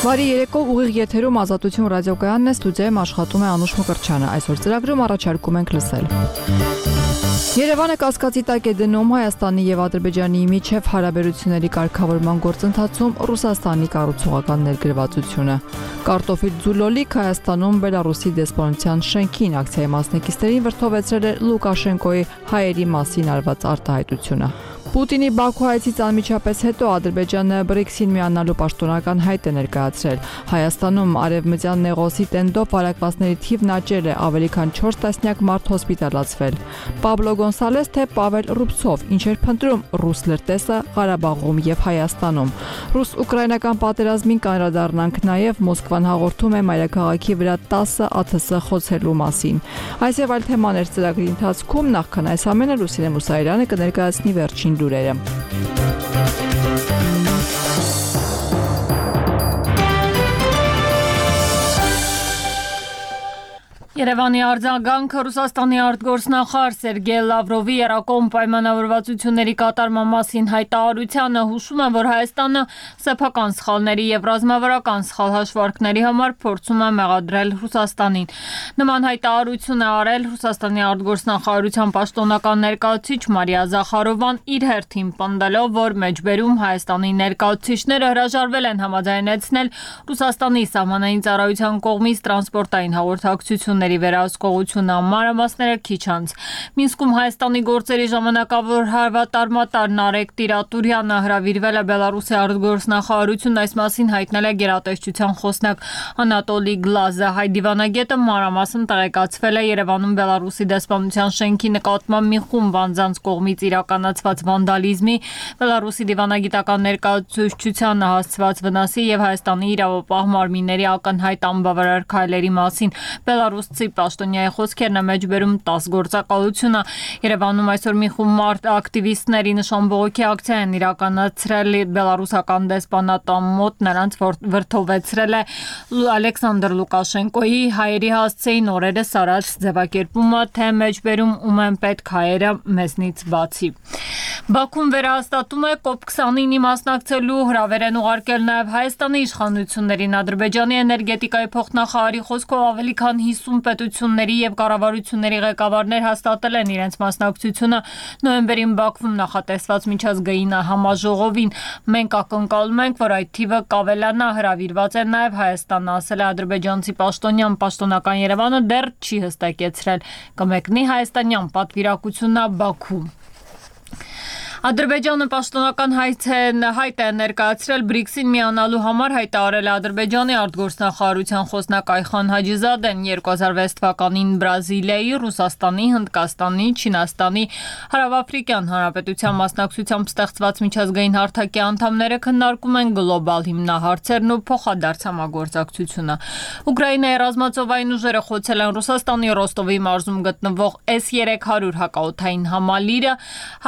Բարի երեկո, ուղիղ եթերում Ազատություն ռադիոկայանն է, ստուդիայում աշխատում է Անուշ Մկրտչյանը։ Այսօր ծրագրում առաջարկում ենք լսել. Երևանը կասկածի տակ է դնում Հայաստանի եւ Ադրբեջանի միջև հարաբերությունների կարգավորման գործընթացում Ռուսաստանի կառուցողական ներգրավվածությունը։ Կարտոֆիլ Ձուլոլիկ Հայաստանում Բելարուսի դեսպանության շենքին ակցիայի մասնակիցներին վրդովեցրել է Լուկաշենկոյի հայերի մասին արված արտահայտությունը։ Պուտինի Բաքու այցից անմիջապես հետո Ադրբեջանը BRICS-ին միանալու պաշտոնական հայտ է ներկայացրել։ Հայաստանում արևմտյան նեղոսի տենդով վարակվածների թիվն աճել է, ավելի քան 4 տասնյակ մարդ հոսպիտալացվել։ Պաբլո Գոնսալես թե Պավել Ռուբցով, ինչ էր փնտրում ռուս լրտեսը Ղարաբաղում եւ Հայաստանում։ Ռուս-ուկրաինական պատերազմին կանրադառնանք նաեւ Մոսկվան հաղորդում է մայրաքաղաքի վրա 10 ԱԹՍ խոցելու մասին։ Այս եւ այլ թեմաներ ծրագրի ընթացքում, նախքան այս ամենը Լուսինե Մուսայելյանը կներկայացնի վերջին լուրերը։ Երևանի արձագանքը Ռուսաստանի արտգործնախարար Սերգեյ Լավրովի երակոմ պայմանավորվածությունների կատարման մասին հայտարարությանը հուշում է, որ Հայաստանը սեփական սխալների եւ ռազմավարական սխալ հաշվարկների համար փորձում է մեղադրել Ռուսաստանին։ Նման հայտարարություն է արել Ռուսաստանի արտգործնախարարության պաշտոնական ներկայացուցիչ Մարիա Զախարովան իր հերթին պնդելով, որ մեջբերում Հայաստանի ներկայացուցիչները հրաժարվել են համաձայնեցնել Ռուսաստանի սահմանային ծառայության կողմից տրանսպորտային հաղորդակցությունների վերահսկողությունը մանրամասները քիչ անց։ Մինսկում Հայաստանի գործերի ժամանակավոր հավատարմատար Նարեկ Տիրատուրյանը հրավիրվել է Բելարուսի արտգործնախարարություն, այս մասին հայտնել է գերատեսչության խոսնակ Անատոլի Գլազը։ Հայ դիվանագետը մանրամասն տեղեկացվել է Երևանում Բելարուսի դեսպանության շենքի նկատմամբ մի խումբ անձանց կողմից իրականացված վանդալիզմի, Բելարուսի դիվանագիտական ներկայացուցչությանը հասցված վնասի եւ Հայաստանի իրավապահ մարմինների ակնհայտ անբավարար քայլերի մասին։ Բելարուսցի պաշտոնյայի խոսքերն է մեջբերում 10 գործակալությունը։ Երևանում այսօր մի խումբ ակտիվիստների նշանբողոքի ակցիա են իրականացրել բելարուսական դեսպանատան մոտ, նրանց վրդովեցրել է Ալեքսանդր Լուկաշենկոյի հայերի հասցեին օրերս արած ձևակերպումը, թե մեջբերում ում են պետք հայերը մեզնից բացի։ Բաքուն վերահաստատում է COP29-ի մասնակցելու հրավեր են ուղարկել նաև Հայաստանի իշխանություններին։ Ադրբեջանի էներգետիկայի փոխնախարարի խոսքով ավելի քան 50 պետությունների եւ կառավարությունների ղեկավարներ հաստատել են իրենց մասնակցությունը նոյեմբերին Բաքվում նախատեսված միջազգային համաժողովին։ Մենք ակնկալում ենք, որ այդ թիվը կավելանա, հրավիրված է նաև Հայաստանը, ասել է ադրբեջանցի պաշտոնյան։ Պաշտոնական Երևանը դեռ չի հստակեցրել կմեկնի հայաստանյան պատվիրակությունն Բաքու։ Ադրբեջանը պաշտոնական հայտ է ներկայացրել BRICS-ին միանալու համար, հայտարարել է Ադրբեջանի արտգործնախարարության խոսնակ Այխան Հաջիզադեն 2006 թվականին Բրազիլիայի, Ռուսաստանի, Հնդկաստանի, Չինաստանի, Հարավաֆրիկյան Հանրապետության մասնակցությամբ ստեղծված միջազգային հարթակի անդամները քննարկում են գլոբալ հիմնահարցերն ու փոխադարձ համագործակցությունը։ Ուկրաինայի ռազմածովային ուժերը խոցել են Ռուսաստանի Ռոստովի մարզում գտնվող S-300 հակաօդային համալիրը,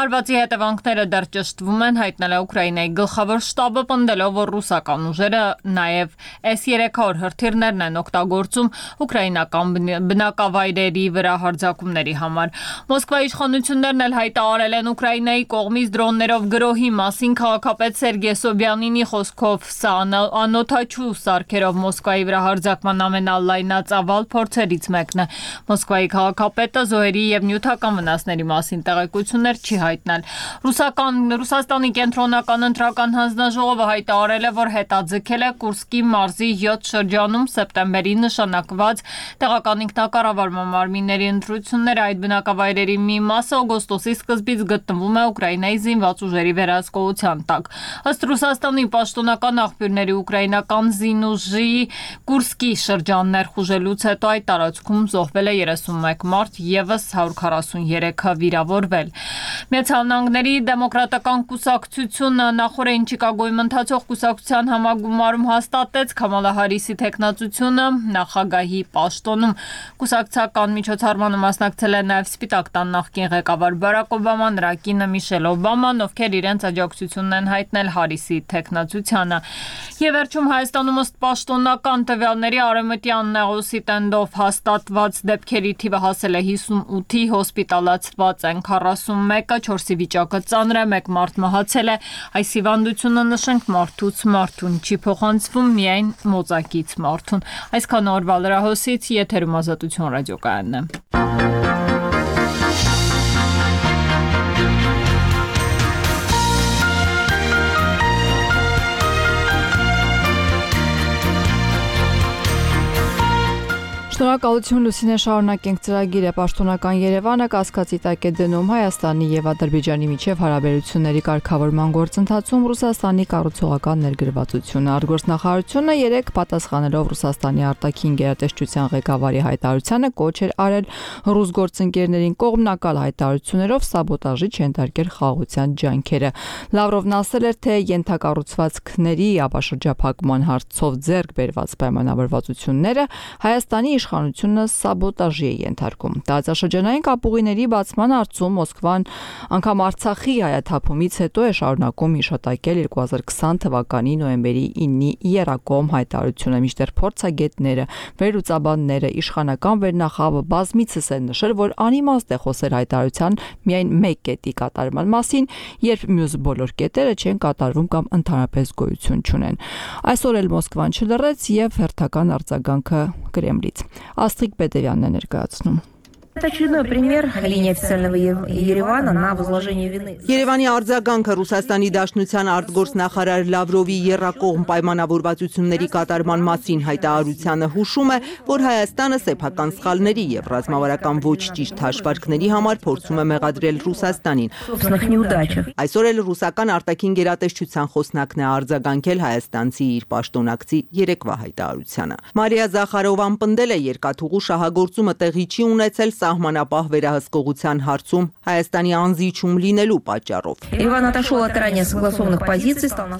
հարվածի հետևանքները դեռ ճշտվում են, հայտնել է Ուկրաինայի գլխավոր շտաբը, պնդելով, որ ռուսական ուժերը նաև S-300 հրթիռներն են օգտագործում ուկրաինական բնակավայրերի վրա հարձակումների համար։ Մոսկվայի իշխանություններն էլ հայտարարել են Ուկրաինայի կողմից դրոններով գրոհի մասին։ Քաղաքապետ Սերգեյ Սոբյանինի խոսքով սա անօդաչու սարքերով Մոսկվայի վրա հարձակման ամենալայնածավալ փորձերից մեկն է։ Մոսկվայի քաղաքապետը զոհերի եւ նյութական վնասների մասին տեղեկություններ չի հայտնել։ Ռուսաստանի կենտրոնական ընտրական հանձնաժողովը հայտարարել է, որ հետաձգել է Կուրսկի մարզի 7 շրջանում սեպտեմբերին նշանակված տեղական ինքնակառավարման մարմինների ընտրությունները։ Այդ բնակավայրերի մի մասը օգոստոսի սկզբից գտնվում է Ուկրաինայի զինված ուժերի վերահսկողության տակ։ Ըստ Ռուսաստանի պաշտոնական աղբյուրների, ուկրաինական զինուժի Կուրսկի շրջան ներխուժելուց հետո այդ տարածքում զոհվել է 31 մարդ, եւս 143-ը վիրավորվել։ Միացյալ Նահանգների դեմոկրատական կուսակցությունը նախորդին Չիկագոյում ընթացող կուսակցության համագումարում հաստատեց Քամալա Հարիսի թեկնածությունը նախագահի պաշտոնում։ Կուսակցական միջոցառմանը մասնակցել է նաև Սպիտակ տան նախկին ղեկավար Բարակ Օբաման, նրա կինը Միշել Օբաման, ովքեր իրենց աջակցությունն են հայտնել Հարիսի թեկնածությանը։ Եվ վերջում Հայաստանում ըստ պաշտոնական տվյալների արևմտյան նեղոսի տենդով հաստատված դեպքերի թիվը հասել է 58-ի, հոսպիտալացված են 41-ը, 4-ի վիճակը ծանր է, 1 մարդ մահացել է։ Այս հիվանդությունը նշենք մարդուց մարդուն չի փոխանցվում, միայն մոծակից մարդուն։ Այսքան օրվա լրահոսից եթերում Ազատություն ռադիոկայանն է։ Շնորհակալություն Լուսինե, շարունակենք ծրագիրը։ Պաշտոնական Երևանը կասկածի տակ է դնում Հայաստանի եւ Ադրբեջանի միջև հարաբերությունների կարգավորման գործընթացում Ռուսաստանի կառուցողական ներգրավվածությունը։ Արտգործնախարարությունը 3 պատասխանելով Ռուսաստանի արտաքին գերատեսչության ղեկավարի հայտարարությանը կոչ էր արել ռուս գործընկերներին կողմնակալ հայտարարություններով սաբոտաժի չենթարկել խաղաղության ջանքերը։ Լավրովն ասել էր, թե ենթակառուցվածքների ապաշրջափակման հարցով ձեռք բերված պայմանավորվածությունները Հայաստանի իշխանությունը սաբոտաժի է ենթարկում։ Տարածաշրջանային կապուղիների բացման հարցում Մոսկվան անգամ Արցախի հայաթափումից հետո է շարունակում հիշատակել 2020 թվականի նոյեմբերի 9-ի եռակողմ հայտարարությունը, մինչդեռ փորձագետները, վերլուծաբանները, իշխանական վերնախավը բազմիցս են նշել, որ անիմաստ է խոսել հայտարարության միայն մեկ կետի կատարման մասին, երբ մյուս բոլոր կետերը չեն կատարվում կամ ընդհանրապես գոյություն չունեն։ Այսօր էլ Մոսկվան չլռեց եւ հերթական արձագանքը Կրեմլից։ Աստղիկ Պետերյանն է ներկայացնում։ Это очередной пример линии официального Еревана на возложение вины. Երևանի արձագանքը Ռուսաստանի Դաշնության արտգործնախարար Լավրովի եռակողմ պայմանավորվածությունների կատարման մասին հայտարարությանը հուշում է, որ Հայաստանը սեփական սխալների եւ ռազմավարական ոչ ճիշտ հաշվարկների համար փորձում է մեղադրել Ռուսաստանին։ Այսօր էլ ռուսական արտաքին գերատեսչության խոսնակն է արձագանքել հայաստանցի իր պաշտոնակցի երեկվա հայտարարությանը։ Մարիա Զախարովան պնդել է երկաթուղու շահագործումը տեղի չի ունեցել սահմանապահ վերահսկողության հարցում Հայաստանի անզիջում լինելու պատճառով։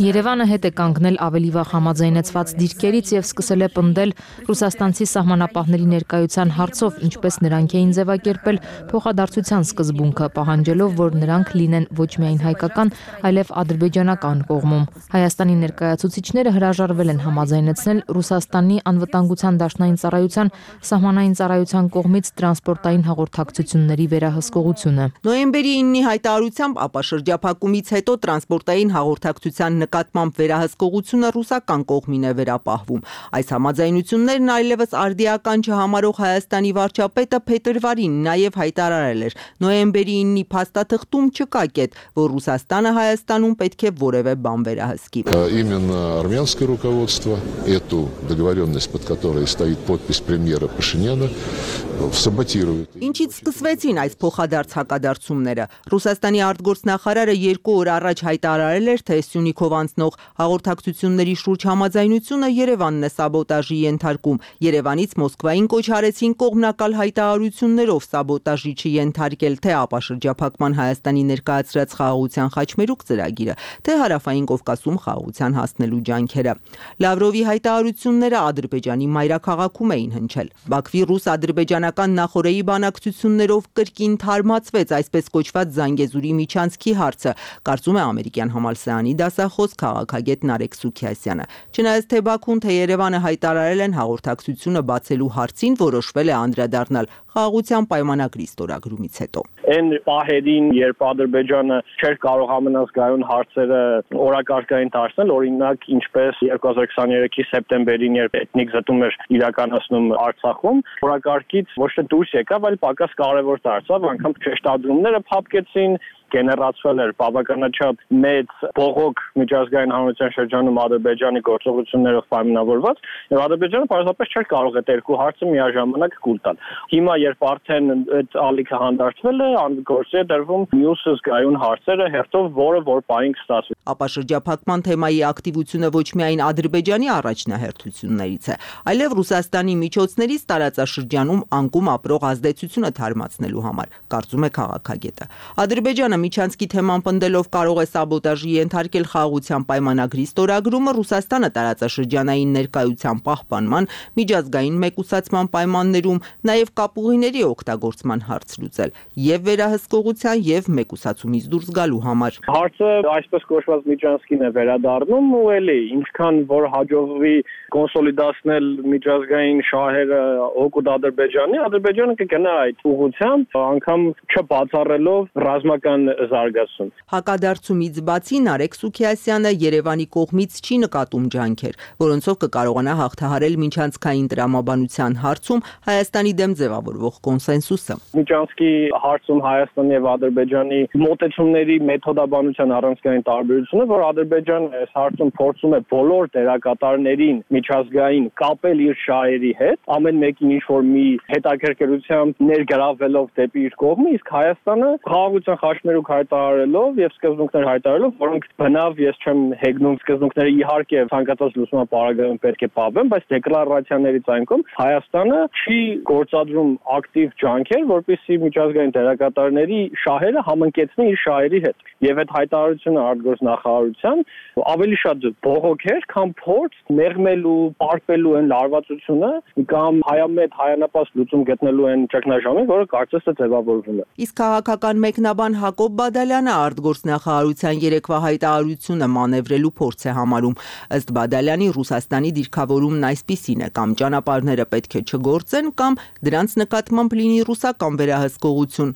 Երևանը հետ է կանգնել ավելի վաղ համաձայնեցված դիրքերից եւ սկսել է պնդել ռուսաստանցի սահմանապահների ներկայության հարցով, ինչպես նրանք էին ձևակերպել փոխադարձության սկզբունքը, պահանջելով, որ նրանք լինեն ոչ միայն հայկական, այլև ադրբեջանական կողմում։ Հայաստանի ներկայացուցիչները հրաժարվել են համաձայնեցնել Ռուսաստանի անվտանգության դաշնային ծառայության սահմանային ծառայության կողմից տրանսպորտային հաղորդակցությունների վերահսկողությունը։ Նոյեմբերի 9-ի հայտարարությամբ ապաշրջափակումից հետո տրանսպորտային հաղորդակցության նկատմամբ վերահսկողությունը ռուսական կողմին է վերապահվում։ Այս համաձայնություններն այլևս արդիական չհամարող Հայաստանի վարչապետը փետրվարին նաև հայտարարել էր. նոյեմբերի 9-ի փաստաթղթում չկա կետ, որ Ռուսաստանը Հայաստանում պետք է որևէ բան վերահսկի։ Именно армянское руководство эту договоренность, под которой стоит подпись премьера Пашиняна, саботирует. Ինչից սկսվեցին այս փոխադարձ հակադարձումները։ Ռուսաստանի արտգործնախարարը 2 օր առաջ հայտարարել էր, թե Սյունիքով անցնող հաղորդակցությունների շուրջ համաձայնությունը Երևանն է սաբոտաժի ենթարկում։ Երևանից Մոսկվային կոչ արեցին կողմնակալ հայտարարություններով սաբոտաժի չենթարկել թե ապաշրջափակման Հայաստանի ներկայացրած խաղաղության խաչմերուկ ծրագիրը, թե Հարավային Կովկասում խաղաղության հասնելու ջանքերը։ Լավրովի հայտարարությունները Ադրբեջանի մայրաքաղաքում էին հնչել։ Բաքվի ռուս-ադրբեջանական նախօրեի բանակցություններով կրկին թարմացվեց այսպես կոչված Զանգեզուրի միջանցքի հարցը, կարծում է ամերիկյան համալսարանի դասախոս քաղաքագետ Նարեկ Սուքիասյանը։ Չնայած թե Բաքուն, թե Երևանը հայտարարել են հաղորդակցությունը բացելու հարցին, որոշվել է անդրադառնալ խաղաղության պայմանագրի ստորագրումից հետո։ Այն պահերին, երբ Ադրբեջանը չէր կարող ամենազգայուն հարցերը օրակարգային դարձնել, օրինակ ինչպես 2023-ի սեպտեմբերին, երբ էթնիկ զտում էր իրականացնում Արցախում, օրակարգից ոչ թե դուրս եկավ, այլ պակաս կարևոր դարձավ, անգամ շեշտադրումները փափկեցին, գեներացվել էր բավականաչափ մեծ բողոք միջազգային հանրության շրջանում Ադրբեջանի գործողություններով պայմանավորված, եւ Ադրբեջանը պարզապես չէր կարող այդ երկու հարցը միաժամանակ կուլ տալ։ Հիմա երբ արդեն այդ ալիքը հանդարտվել է, գործի է դրվում մյուս զգայուն հարցերը հերթով, որ պահին կստացվի։ Ապաշրջափակման թեմայի ակտիվությունը ոչ միայն Ադրբեջանի առաջնահերթություններից է, այլև Ռուսաստանի միջոցներից տարածաշրջանում անկում ապրող ազդեցությունը թարմացնելու համար, կարծում է քաղաքագետը։ Ադրբեջանը միջանցքի թեման պնդելով կարող է սաբոտաժի ենթարկել խաղաղության պայմանագրի ստորագրումը, Ռուսաստանը տարածաշրջանային ներկայության պահպանման, միջազգային մեկուսացման պայմաններում, նաև կապուղիների օգտագործման հարց լուծել եւ վերահսկողության եւ մեկուսացումից դուրս գալու համար։ Հարցը այսպես կոչված միջանցքին է վերադառնում ու էլի ինչքան որ հաջողվի կոնսոլիդացնել միջազգային շահերը օգուտ Ադրբեջանի, Ադրբեջանը կգնա այդ ուղղությամբ, անգամ չբացառելով ռազմական զարգացում։ Հակադարձումից բացի Նարեկ Սուքիասյանը Երևանի կողմից չի նկատում ջանքեր, որոնցով կկարողանա հաղթահարել միջանցքային տրամաբանության հարցում Հայաստանի դեմ ձևավորվող կոնսենսուսը։ Միջանցքի հարցում Հայաստանի եւ Ադրբեջանի մոտեցումների մեթոդաբանության առանցքային տարբերությունը, որ Ադրբեջանը այս հարցում փորձում է բոլոր դերակատարներին միջազգային կապել իր շահերի հետ, ամեն մեկին ինչ-որ մի հետաքրքրությամբ ներգրավելով դեպի իր կողմը, իսկ Հայաստանը խաղաղության խաչմերուկ հայտարարելով եւ սկզբունքներ հայտարարելով, որոնք բնավ ես չեմ հեգնում սկզբունքները իհարկե ցանկացած լուսման պարագայում պետք է պահվեն, բայց դեկլարացիաներից այնքան Հայաստանը չի գործադրում ակտիվ ջանքեր, որպեսզի միջազգային դերակատարների շահերը համընկեցնի իր շահերի հետ։ Եվ այդ հայտարարությունը արտգործնախարարության ավելի շատ բողոք էր, քան փորձ մեղմելու, պարպելու այն լարվածությունը կամ հայամետ հայանապաստ լուծում գտնելու այն ճգնաժամին, որը կարծես թե ձևավորվում է։ Իսկ քաղաքական մեկնաբան Հակոբ Բադալյանը արտգործնախարարության երեկվա հայտարարությունը մանևրելու փորձ է համարում։ Ըստ Բադալյանի Ռուսաստանի դիրքավորումն այսպիսին է՝ կամ ճանապարհները պետք է չգործեն, կամ դրանց նկատմամբ լինի ռուսական վերահսկողություն։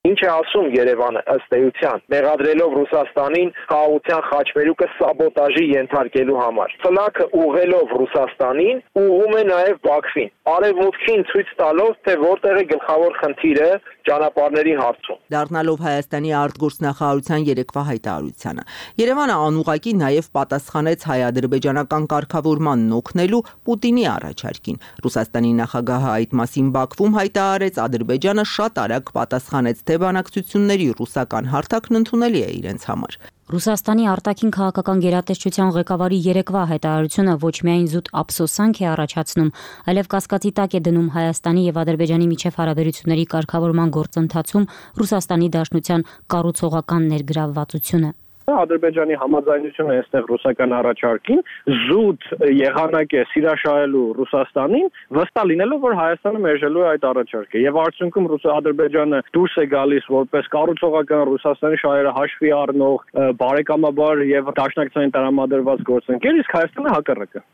Ինչ է ասում Երևանը ըստ էության, մեղադրելով Ռուսաստանին խաղաղության խաչմերուկը սաբոտաժի ենթարկելու համար։ Ֆլակը ուղղելով Ռուսաստանին ուղղում է նաև Բաքվին, արևմուտքին ցույց տալով, թե որտեղ է գլխավոր խնդիրը ճանապարհների հարցում։ Դառնալով Հայաստանի արտգործնախարարության երեկվա հայտարարությանը, Երևանը անուղղակի նաև պատասխանեց հայ-ադրբեջանական կարգավորմանն օգնելու Պուտինի առաջարկին։ Ռուսաստանի նախագահը այդ մասին Բաքվում հայտարարեց, Ադրբեջանը շատ արագ պատասխանեց, թե բանակցությունների ռուսական հարթակն ընդունելի է իրենց համար։ Ռուսաստանի արտաքին քաղաքական գերատեսչության ղեկավարի երեկվա հայտարարությունը ոչ միայն զուտ ափսոսանք է առաջացնում, այլև կասկածի տակ է դնում Հայաստանի եւ Ադրբեջանի միջև հարաբերությունների կարգավորման գործընթացում Ռուսաստանի Դաշնության կառուցողական ներգրավվածությունը։ Ադրբեջանի համաձայնությունը այստեղ ռուսական առաջարկին զուտ եղանակ է սիրաշահելու Ռուսաստանին, վստահ լինելով, որ Հայաստանը մերժելու է այդ առաջարկը։ Եվ արդյունքում Ադրբեջանը դուրս է գալիս որպես կառուցողական Ռուսաստանի շահերը հաշվի առնող, բարեկամաբար եւ դաշնակցային տրամադրված գործընկեր, իսկ Հայաստանը հակառակը։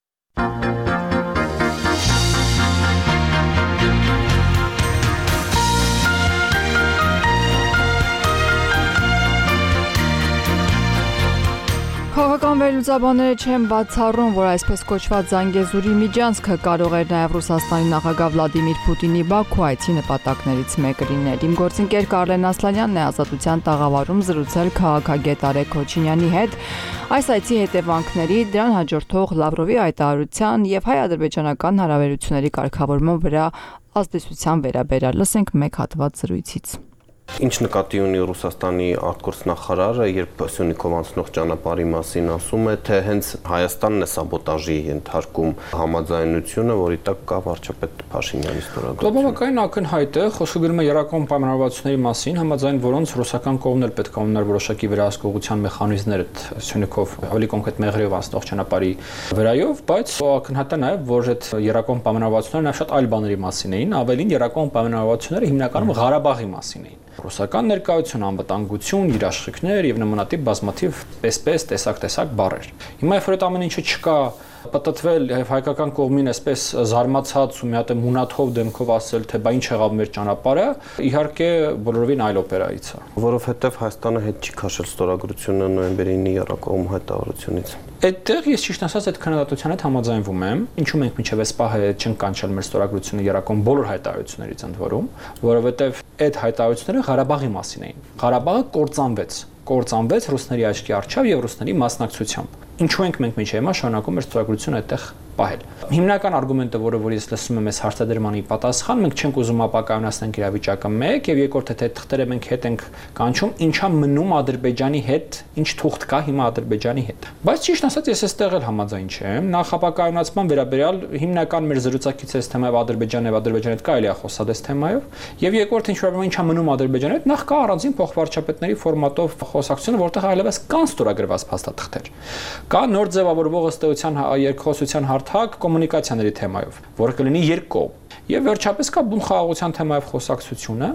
Քաղաքական վերլուծաբանները չեն բացառում, որ այսպես կոչված Զանգեզուրի միջանցքը կարող էր նաև Ռուսաստանի նախագահ Վլադիմիր Պուտինի Բաքու այցի նպատակներից մեկը լինել։ Իմ գործընկեր Կարլեն Ասլանյանն է Ազատության տաղավարում զրուցել քաղաքագետ Արեգ Քոչինյանի հետ այս այցի հետևանքների, դրան հաջորդող Լավրովի հայտարարության եւ հայ-ադրբեջանական հարաբերությունների կարգավորման վրա ազդեցության վերաբերյալ։ Լսենք մեկ հատված զրույցից։ Ինչ նկատի ունի Ռուսաստանի արտգործնախարարը, երբ Սյունիքով անցնող ճանապարհի մասին ասում է, թե հենց Հայաստանն է սաբոտաժի ենթարկում համաձայնությունը, որի տակ կա վարչապետ Փաշինյանի ստորագրությունը։ Բավականին ակնհայտ է, խոսքը գնում է երակոմ պայմանավորվածությունների մասին, համաձայն որոնց ռուսական կողմն էլ պետք է ունենար որոշակի վերահսկողության մեխանիզմներ Սյունիքով ավելի կոնկրետ Մեղրիով անցնող ճանապարհի վրայով, բայց ակնհայտ է նաև, որ այդ երակոմ պայմանավորվածությունները նաև շատ այլ բաների մասին էին, ավելին երակոմ պայմանավորվածությունները հիմնականում Ղարաբաղի մասին էին։ Ռուսական ներկայություն, անվտանգություն, երաշխիքներ եւ նմանատիպ բազմաթիվ պես տեսակ բառեր։ Հիմա երբ որ այդ ամեն ինչը չկա, պատտվել եւ հայկական կողմին այսպես զարմացած ու մի հատ մունաթով դեմքով ասել, թե բա ինչ եղավ մեր ճանապարհը, իհարկե բոլորովին այլ օպերայից է, որովհետեւ Հայաստանը հետ չի քաշել ստորագրությունը նոյեմբերի 9-ի երակոմ հայտարարությունից։ Այդտեղ ես ճիշտ ասած այդ քննադատության հետ համաձայնվում եմ, ինչու մենք մինչև այս պահը չենք կանչել մեր ստորագրությունը երակոմ բոլոր հայտարարություններից ընդ որում, որովհետեւ այդ հայտարարությունները Ղարաբաղի մասին էին։ Ղարաբաղը կործանվեց ռուսների աչքի առջև եւ ռուսների մասնակցությամբ։ Ինչու ենք մենք մինչև հիմա շարունակում մեր ստորագրությունը այդտեղ պահել։ Հիմնական արգումենտը, որ ես լսում եմ այս հարցադրմանի պատասխան, մենք չենք ուզում ապակայունացնել իրավիճակը 1 եւ երկրորդը թե թղթերը մենք հետ ենք կանչում, ինչա մնում Ադրբեջանի հետ, ինչ թուղթ կա հիմա Ադրբեջանի հետ։ Բայց ճիշտ ասած ես այստեղ էլ համաձայն չեմ, նախ ապակայունացման վերաբերյալ հիմնական մեր զրուցակից այս թեմայով Ադրբեջանը եւ Ադրբեջանի հետ կարելի է խոսալ այս թեմայով, եւ երկրորդ ինչ որ ինչա մնում Ադրբեջանի հետ, նախ կա առանձին փոխվարչապետների ֆորմատով խոսակցությունը, որտեղ այլևս կան ստորագրված փաստաթղթեր։ Կա նոր ձևավորվող ըստ էության երկխոսության հարթակ կոմունիկացիաների թեմայով, որը կլինի երկկողմ։ Եվ վերջապես կա բուն խաղաղության թեմայով խոսակցությունը,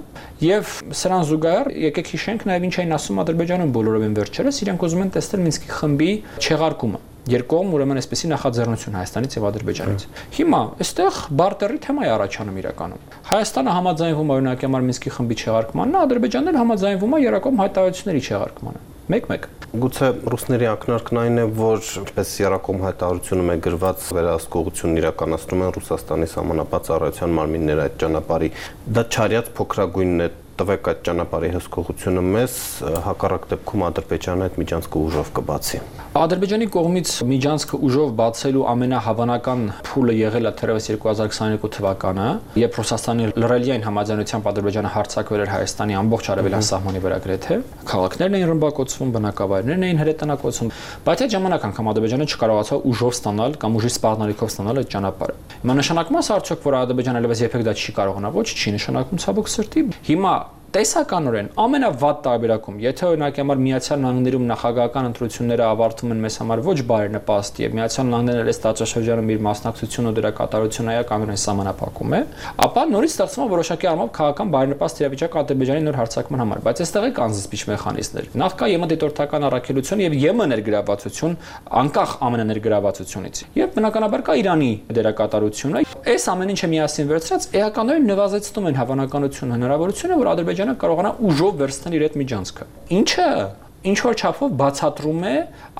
եւ սրան զուգահեռ եկեք հիշենք նաեւ ինչ էին ասում Ադրբեջանում բոլորովին վերջերս, իրենք ուզում են տեսնել Մինսկի խմբի չեղարկումը։ Երկկողմ ուրեմն այսպեսի նախաձեռնություն Հայաստանից եւ Ադրբեջանից։ Հիմա այստեղ բարտերի թեմա է առաջանում իրականում։ Հայաստանը համաձայնվում է օրինակ համար Մինսկի խմբի չեղարկմանն, Ադրբեջանն էլ համաձայնվում է Երակոմ հայտարարությունների չեղարկմանը։ Մեկ-մեկ։ Գուցե ռուսների ակնարկն այն է, որ ինչպես Երակոմ հայտարարությունում է գրված, վերահսկողությունն իրականացնում են Ռուսաստանի սահմանապահ ծառայության մարմինները այդ ճանապարհի, դա չարյաց փոքրագույնն է, տվեք այդ ճանապարհի հսկողությունը մեզ, հակառակ դեպքում Ադրբեջանը այդ միջանցքը ուժով կբացի։ Ադրբեջանի կողմից միջանցքը ուժով բացելու ամենահավանական փուլը եղել է թերևս 2022 թվականը, երբ Ռուսաստանի լրելիային համաձայնությամբ Ադրբեջանը հարձակվել էր Հայաստանի ամբողջ արևելյան սահմանի վրա գրեթե, քաղաքներն էին ռմբակոծվում, բնակավայրներն էին հրետանակոծվում, բայց այդ ժամանակ անգամ Ադրբեջանը չկարողացավ ուժով ստանալ կամ ուժի սպառնալիքով ստանալ այդ ճանապարհը։ Հիմա նշանակում է արդյոք, որ Ադրբեջանը այլևս երբեք դա չի կարողանա, ոչ, չի նշանակում ցավոք սրտի։ Հիմա տեսականորեն ամենավատ տարբերակում, եթե օրինակ համար Միացյալ Նահանգներում նախագահական ընտրությունները ավարտվում են մեզ համար ոչ բարենպաստ եւ Միացյալ Նահանգներն այս տարածաշրջանում իր մասնակցությունը դրա կատարությունը այականորեն սահմանափակում է, ապա նորից ստեղծվում է որոշակի առումով քաղաքական բարենպաստ իրավիճակ Ադրբեջանի նոր հարձակման համար, բայց այստեղ է կան զսպիչ մեխանիզմներ։ Նախ կա ԵՄ դիտորդական առաքելություն եւ ԵՄ ներգրավվածություն, անկախ ԱՄՆ ներգրավվածությունից։ Եվ բնականաբար կա Իրանի դերակատարությունը։ Այս ամեն ինչը միասին վերցրած էականորեն նվազեցնում են հավանականությունը, հնարավորությունը, որ Ադրբեջանը կարողանա ուժով վերցնել իր այդ միջանցքը։ Ինչը ինչ որ չափով բացատրում է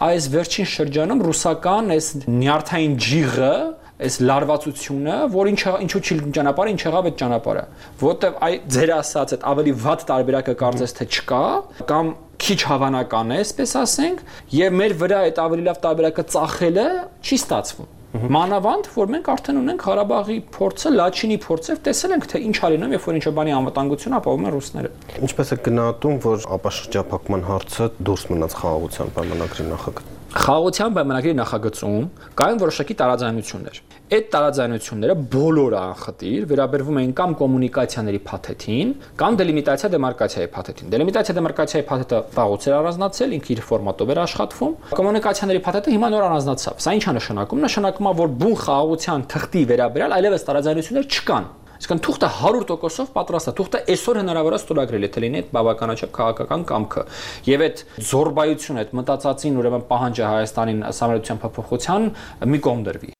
այս վերջին շրջանում ռուսական այս նյարդային ջիղը, այս լարվածությունը, որ ինչու չի ճանապարհը, ինչ եղավ այդ ճանապարհը, որտեվ այ ձեր ասած այդ ավելի վատ տարբերակը կարծես թե չկա, կամ քիչ հավանական է, այսպես ասենք, եւ մեր վրա այդ ավելի լավ տարբերակը ծախելը չի ստացվում։ Մանավանդ, որ մենք արդեն ունենք Ղարաբաղի փորձը, Լաչինի փորձը, տեսել ենք, թե ինչ արինում, երբ որ ինչ-որ բանի անվտանգություն ապահովում են ռուսները։ Ինչպես է գնահատում, որ ապաշրջափակման հարցը դուրս մնաց խաղաղության պայմանագրի նախագծից։ Խաղաղության պայմանագրի նախագծում կային որոշակի տարաձայնություններ։ Այդ տարաձայնությունները բոլորը անխտիր վերաբերվում էին կամ կոմունիկացիաների փաթեթին, կամ դելիմիտացիա դեմարկացիայի փաթեթին։ Դելիմիտացիա դեմարկացիայի փաթեթը վաղուց էր առանձնացել, ինքը իր ֆորմատով էր աշխատվում։ Կոմունիկացիաների փաթեթը հիմա նոր առանձնացավ։ Սա ինչ է նշանակում։ Նշանակում է, որ բուն խաղաղության թղթի վերաբերյալ այլևս տարաձայնություններ չկան։ Այսինքն թուղթը 100% պատրաստ է, թուղթը այսօր հնարավոր է ստորագրել, եթե լինի այդ բավականաչափ քաղաքական կամքը։ Եվ այդ զորբայությունը, այդ մտածածին ուրեմն պահանջը Հայաստանին համալրության փոփոխության մի կողմ դրվի։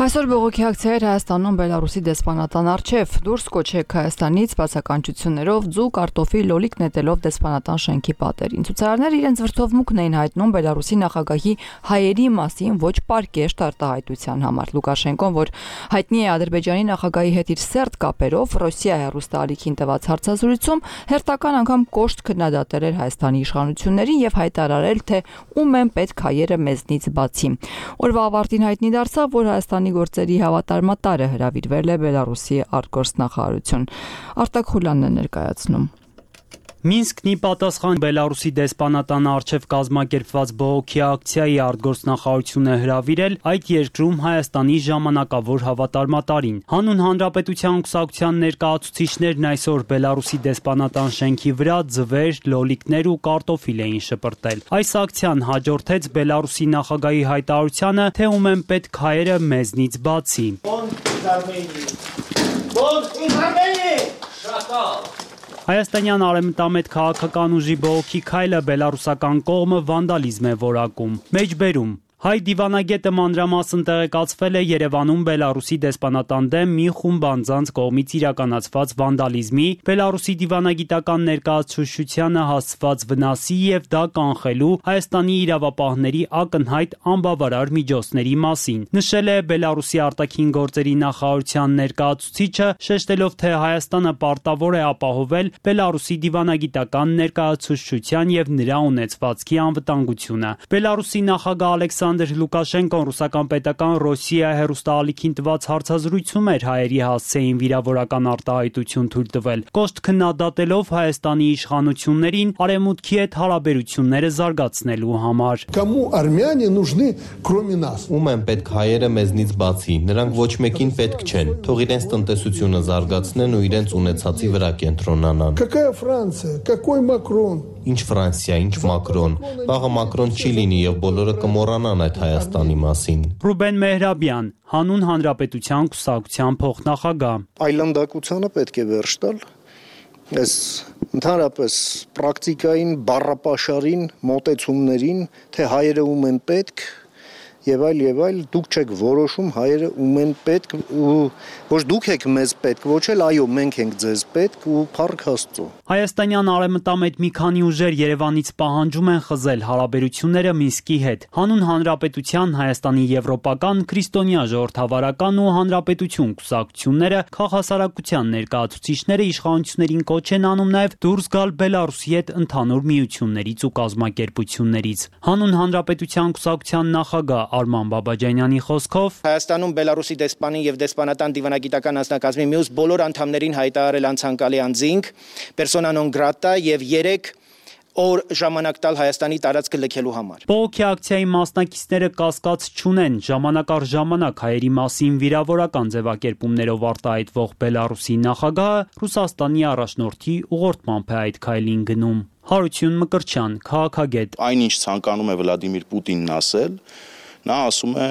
Այսօր բողոքի ակցիա էր Հայաստանում Բելարուսի դեսպանատան առջև։ Դուրս կոչեք Հայաստանից բացականչություններով, ձու, կարտոֆի, լոլիկ նետելով դեսպանատան շենքի պատերին։ Ցուցարարները իրենց վրդովմունքն էին հայտնում Բելարուսի նախագահի հայերի մասին ոչ պարկեշտ արտահայտության համար։ Լուկաշենկոն, որ հայտնի է Ադրբեջանի նախագահի հետ իր սերտ կապերով, Ռոսիա հեռուստաալիքին տված հարցազրույցում հերթական անգամ կոշտ քննադատել էր Հայաստանի իշխանություններին եւ հայտարարել, թե ում են պետք հայերը մեզնից բացի։ Օրվա ավարտին հայտնի դարձավ, որ Հայաստանի գործերի հավատարմատարը հրավիրվել է Բելարուսի արտգործնախարարություն։ Արտակ Խուլյանն է ներկայացնում։ Մինսկն ի պատասխան Բելարուսի դեսպանատան առջև կազմակերպված բողոքի ակցիայի արտգործնախարարությունը հրավիրել այդ երկրում Հայաստանի ժամանակավոր հավատարմատարին։ Հանուն Հանրապետության կուսակցության ներկայացուցիչներն այսօր Բելարուսի դեսպանատան շենքի վրա ձվեր, լոլիկներ ու կարտոֆիլ էին շպրտել։ Այս ակցիան հաջորդեց Բելարուսի նախագահի հայտարարությանը, թե ում են պետք հայերը մեզնից բացի։ Հայաստանյան արևմտամետ քաղաքական ուժի բողոքի քայլը բելարուսական կողմը վանդալիզմ է որակում։ Մեջբերում Հայ դիվանագետը մանրամասն տեղեկացվել է Երևանում Բելարուսի դեսպանատան դեմ մի խումբ անձանց կողմից իրականացված վանդալիզմի, Բելարուսի դիվանագիտական ներկայացուցչությանը հասցված վնասի եւ դա կանխելու Հայաստանի իրավապահների ակնհայտ անբավարար միջոցների մասին։ Նշել է Բելարուսի արտաքին գործերի նախարարության ներկայացուցիչը, շեշտելով, թե Հայաստանը պարտավոր է ապահովել Բելարուսի դիվանագիտական ներկայացուցչության եւ նրա ունեցվածքի անվտանգությունը։ Բելարուսի նախագահ Ալեքսանդր Լուկաշենկոն ռուսական պետական Ռոսիա հեռուստաալիքին տված հարցազրույցում էր հայերի հասցեին վիրավորական արտահայտություն թույլ տվել, կոշտ քննադատելով Հայաստանի իշխանություններին արևմուտքի հետ հարաբերությունները զարգացնելու համար։ Կոմու արմյանը нужны кроме нас։ Ում են պետք հայերը մեզնից բացի, նրանք ոչ մեկին պետք չեն, թող իրենց տնտեսությունը զարգացնեն ու իրենց ունեցածի վրա կենտրոնանան։ Какая Франция, какой Макрон։ Ինչ Ֆրանսիա, ինչ Մակրոն։ Վաղը Մակրոն չի լինի եւ բոլորը կմոռանան այդ Հայաստանի մասին։ Ռուբեն Մեհրաբյան, հանուն Հանրապետության կուսակցության փոխնախագահ։ Այլանդակությանը պետք է վերջ տալ, Այս ընդհանրապես պրակտիկային բառապաշարին, մոտեցումներին, թե հայերը ում են պետք եւ այլ, դուք չեք որոշում հայերը ում են պետք ու ոչ դուք եք մեզ պետք, ոչ էլ այո մենք ենք ձեզ պետք ու փառք Աստծո։ Հայաստանյան արևմտամետ մի քանի ուժեր Երևանից պահանջում են խզել հարաբերությունները Մինսկի հետ։ Հանուն Հանրապետության Հայաստանի եվրոպական, քրիստոնյա ժողովրդավարական ու հանրապետություն կուսակցությունները քաղաքասարակության ներկայացուցիչները իշխանություններին կոչ են անում նաև դուրս գալ Բելարուսի հետ ընդհանուր միություններից ու կազմակերպություններից։ Հանուն Հանրապետության կուսակցության նախագահ Արման Բաբաջանյանի խոսքով Հայաստանում Բելարուսի դեսպանին եւ դեսպանատան դիվանագիտական անձնակազմի մյուս բոլոր անդամներին հայտարարել անցանկալի անձինք, persona non grata եւ 3 օր ժամանակ տալ Հայաստանի տարածքը լքելու համար։ Բողոքի ակցիայի մասնակիցները կասկած չունեն, ժամանակ առ ժամանակ հայերի մասին վիրավորական ձևակերպումներով արտահայտվող Բելարուսի նախագահը Ռուսաստանի առաջնորդի ուղղորդմամբ է այդ քայլին գնում։ Հարություն Մկրտչյան, քաղաքագետ։ Այնինչ ցանկանում է Վլադիմիր Պուտինն ասել, նա ասում է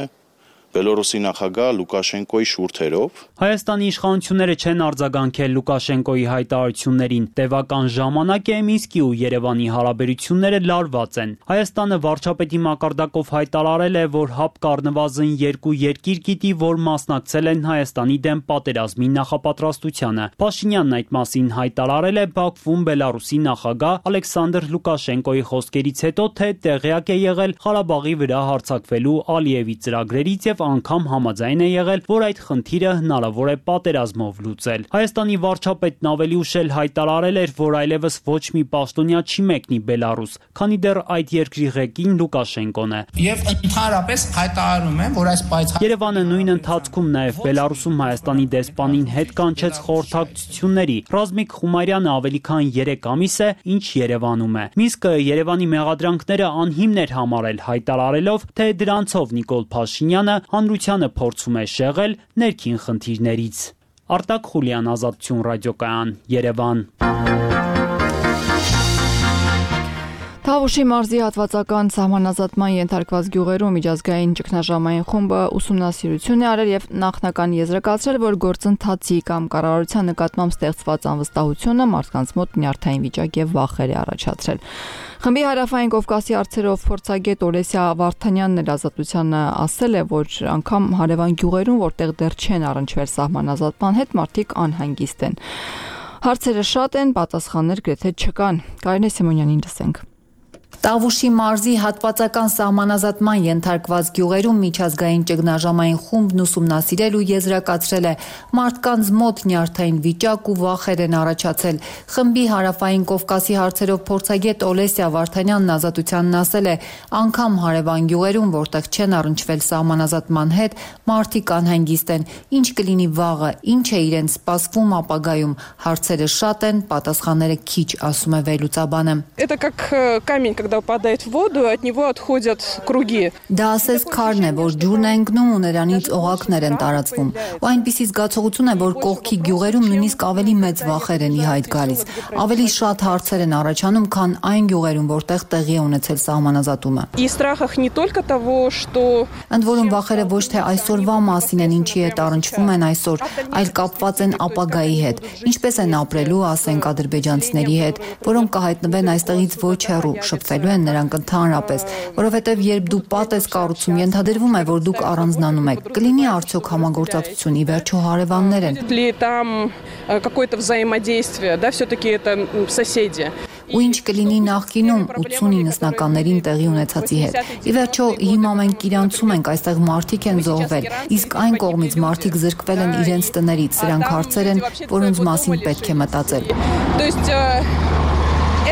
Բելորուսի նախագահ Լուկաշենկոյի շուրթերով։ Հայաստանի իշխանությունները չեն արձագանքել Լուկաշենկոյի հայտարարություններին։ Տևական ժամանակ է Մինսկի ու Երևանի հարաբերությունները լարված են։ Հայաստանը վարչապետի մակարդակով հայտարարել է, որ ՀԱՊԿ առնվազն 2 երկիր գիտի, որ մասնակցել են Հայաստանի դեմ պատերազմի նախապատրաստությանը։ Փաշինյանն այդ մասին հայտարարել է Բաքվում Բելարուսի նախագահ Ալեքսանդր Լուկաշենկոյի խոսքերից հետո, թե տեղյակ է եղել Ղարաբաղի վրա հարձակվելու Ալիևի ծրագրերից եւ անգամ համաձայն է եղել, որ այդ խնդիրը հնարավոր է պատերազմով լուծել։ Հայաստանի վարչապետն ավելի ուշ էլ հայտարարել էր, որ այլևս ոչ մի պաշտոնյա չի մեկնի Բելարուս, քանի դեռ այդ երկրի ղեկին Լուկաշենկոն է։ Եվ ընդհանրապես հայտարարում եմ, որ այս պայծառ Երևանը նույն ընթացքում նաև Բելարուսում Հայաստանի դեսպանին հետ կանչեց խորհրդակցությունների։ Ռազմիկ Խումարյանը ավելի քան 3 ամիս է, ինչ Երևանում է։ Մինսկը Երևանի մեղադրանքները անհիմն էր համարել, հայտարարելով, թե դրանցով Նիկոլ Փաշինյանը հանրությանը փորձում է շեղել ներքին խնդիրներից։ Արտակ Խուլյան, Ազատություն ռադիոկայան, Երևան։ Թավուշի մարզի հատվածական սահմանազատման ենթարկված գյուղերում միջազգային ճգնաժամային խումբը ուսումնասիրություն է արել եւ նախնական եզրակացրել, որ գործընթացի կամ կառավարության նկատմամբ ստեղծված անվստահությունը մարդկանց մոտ նյարդային վիճակ եւ վախեր է առաջացրել։ Խմբի Հարավային Կովկասի հարցերով փորձագետ Օլեսիա Վարդանյանն էլ Ազատությանը ասել է, որ անգամ հարևան գյուղերում, որտեղ դեռ չեն առնչվել սահմանազատման հետ, մարդիկ անհանգիստ են։ Հարցերը շատ են, պատասխաններ գրեթե չկան։ Կարինե Սիմոնյանին լսենք։ Տավուշի մարզի հատվածական սահմանազատման ենթարկված գյուղերում միջազգային ճգնաժամային խումբն ուսումնասիրել ու եզրակացրել է մարդկանց մոտ նյարդային վիճակ ու վախեր են առաջացել։ Խմբի Հարավային Կովկասի հարցերով փորձագետ Օլեսիա Վարդանյանն Ազատությանն ասել է, անգամ հարևան գյուղերում, որտեղ չեն առնչվել սահմանազատման հետ, մարդիկ անհանգիստ են։ Ինչ կլինի վաղը, ինչ է իրենց սպասվում ապագայում։ Հարցերը շատ են, պատասխանները քիչ, ասում է վերլուծաբանը։ Это как камень, когда упадает в воду, от него отходят круги. Դա ասես քարն է, որ ջուրն է ընկնում ու նրանից օղակներ են տարածվում։ Ու այնպիսի զգացողություն է, որ կողքի գյուղերում նույնիսկ ավելի մեծ վախեր են ի հայտ գալիս։ Ավելի շատ հարցեր են առաջանում, քան այն գյուղերում, որտեղ տեղի է ունեցել սահմանազատումը։ И страхах не только того, что Ընդ որում վախերը ոչ թե այսօրվա մասին են, ինչի հետ առնչվում են այսօր, այլ կապված են ապագայի հետ։ Ինչպես են ապրելու, ասենք, ադրբեջանցիների հետ, որոնք կհայտնվեն այստեղից ոչ հեռու, շփվելու են նրանք ընդհանրապես, որովհետև երբ դու պատ ես կառուցում, ենթադրվում է, որ դուք առանձնանում եք։ Կլինի արդյոք համագործակցություն, ի վերջո հարևաններ են։ ли там какое-то взаимодействие, да, все-таки это соседи. Ու ինչ կլինի նախկինում 80-90-ականներին տեղի ունեցածի հետ։ Ի վերջո հիմա մենք իրանցում ենք, այստեղ մարդիկ են զոհվել, իսկ այն կողմից մարդիկ զրկվել են իրենց տներից, սրանք հարցեր են, որոնց մասին պետք է մտածել։ То есть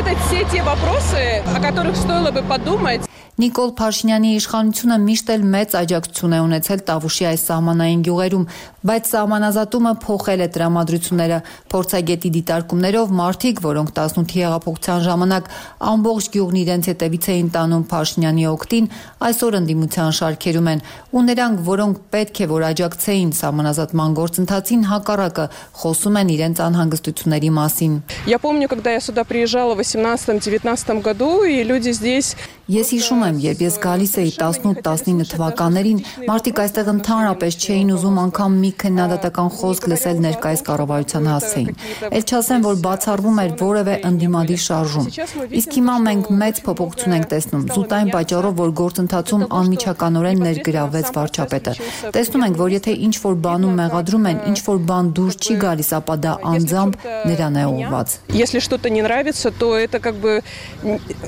это все те вопросы, о которых стоило бы подумать. Նիկոլ Փաշինյանի իշխանությունը միշտ էլ մեծ աջակցություն է ունեցել Տավուշի այս սահմանային գյուղերում, բայց սահմանազատումը փոխել է տրամադրությունները։ Փորձագետի դիտարկումներով մարդիկ, որոնք 18-ի հեղափոխության ժամանակ ամբողջ գյուղն իրենց հետևից էին տանում Փաշինյանի օգտին, այսօր ընդդիմության շարքերում են, ու նրանք, որոնք պետք է որ աջակցեին սահմանազատման գործընթացին, հակառակը խոսում են իրենց անհանգստությունների մասին։ Я помню, когда я сюда приезжала в 18-19 году, и люди здесь Ես հիշում եմ, երբ ես գալիս էի 18-19 թվականներին, մարդիկ այստեղ ընդհանրապես չէին ուզում անգամ մի մի քննադատական խոսք լսել ներկայիս կառավարության հասցեին։ Էլ չասեմ, որ բացառվում էր որևէ ընդդիմադիր շարժում։ Իսկ հիմա մենք մեծ փոփոխություն ենք տեսնում, զուտ այն պատճառով, որ գործընթացում անմիջականորեն ներգրավվեց վարչապետը։ Տեսնում ենք, որ եթե ինչ-որ բանում մեղադրում են, ինչ-որ բան դուրս չի գալիս, ապա դա անձամբ նրան է ուղղված։ Если что-то не нравится, то это как бы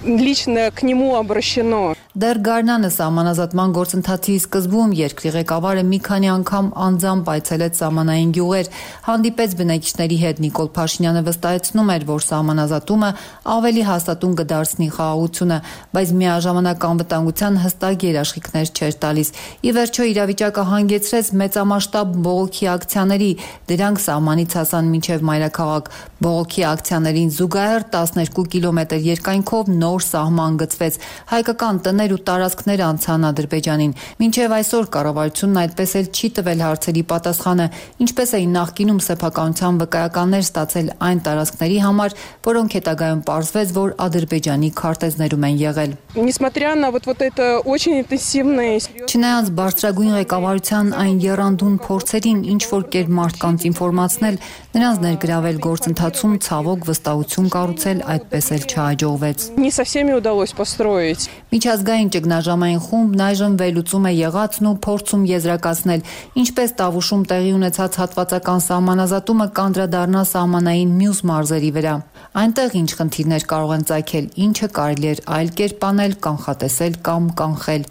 лично к нему обращено. Դեռ գարնանը սահմանազատման գործընթացի սկզբում երկրի ղեկավարը մի քանի անգամ անձամբ այցելեց սահմանային գյուղեր, հանդիպեց բնակիչների հետ։ Նիկոլ Փաշինյանը վստահեցնում էր, որ սահմանազատումը ավելի հաստատուն կդարձնի խաղաղությունը, բայց միաժամանակ անվտանգության հստակ երաշխիքներ չէր տալիս։ Ի վերջո իրավիճակը հանգեցրեց մեծամասշտաբ բողոքի ակցիաների, դրանք սահմանից հասան մինչև մայրաքաղաք։ Բողոքի ակցիաներին զուգահեռ 12 կիլոմետր երկայնքով նոր սահման գծվեց։ Հայկական տներ ու տարածքներ անցան Ադրբեջանին։ Մինչև այսօր կառավարությունն այդպես էլ չի տվել հարցերի պատասխանը, ինչպես էին նախկինում սեփականության վկայականներ ստացել այն տարածքների համար, որոնք հետագայում պարզվեց, որ Ադրբեջանի քարտեզներում են եղել։ Несмотря на вот это очень интенсивное. Չնայած բարձրագույն ղեկավարության այն եռանդուն փորձերին ինչ որ կերպ մարդկանց ինֆորմացնել, նրանց ներգրավել գործընթացում ցավոք վստահություն կառուցել այդպես էլ չհաջողվեց։ Не со всеми удалось построить. Միջազգային ճգնաժամային խումբն այժմ վերլուծում է եղածն ու փորձում եզրակացնել, ինչպես Տավուշում տեղի ունեցած հատվածական սահմանազատումը կանդրադառնա սահմանային մյուս մարզերի վրա։ Այնտեղ ինչ խնդիրներ կարող են ծագել, ինչը կարելի է այլ կերպ անել, կանխատեսել կամ կանխել։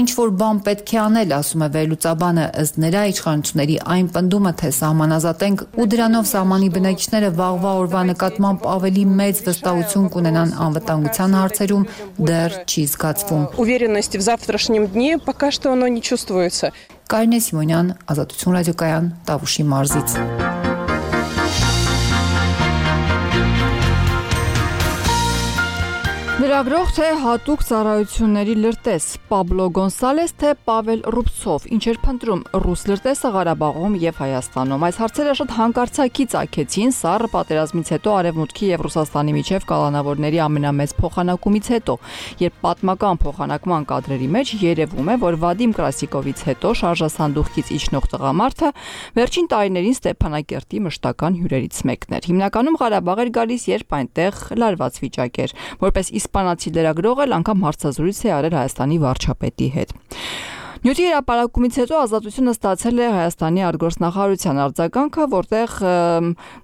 Ինչ որ բան պետք է անել, ասում է վերլուծաբանը, ըստ նրա իշխանությունների այն պնդումը, թե սահմանազատենք ու դրանով սահմանի բնակիչները վաղվա օրվա նկատմամբ ավելի մեծ վստահություն կունենան անվտանգության հարցերում, դեռ չի զգացվում։ Уверенности в завтрашнем дне пока что оно не чувствуется. Կարինե Սիմոնյան, Ազատություն ռադիոկայան, Տավուշի մարզից։ Լրագրող թե հատուկ ծառայությունների լրտես Պաբլո Գոնսալես թե Պավել Ռուբցով ինչ էր փնտրում ռուս լրտեսը Ղարաբաղում եւ Հայաստանում։ Այս հարցերը շատ հանկարծակի ծագեցին սառը պատերազմից հետո Արևմուտքի եւ Ռուսաստանի միջև կալանավորների ամենամեծ փոխանակումից հետո, երբ պատմական փոխանակման կադրերի մեջ երևում է, որ Վադիմ Կրասիկովից հետո շարժասանդուղքից իջնող տղամարդը վերջին տարիներին Ստեփանակերտի մշտական հյուրերից մեկն էր։ Հիմնականում Ղարաբաղ էր գալիս, երբ այնտեղ լարված վիճակ էր, որպես իսպանացի լրագրող էլ անգամ հարցազրույց է արել Հայաստանի վարչապետի հետ։ Նյութի հրապարակումից հետո Ազատությունը ստացել է Հայաստանի արտգործնախարարության արձագանքը, որտեղ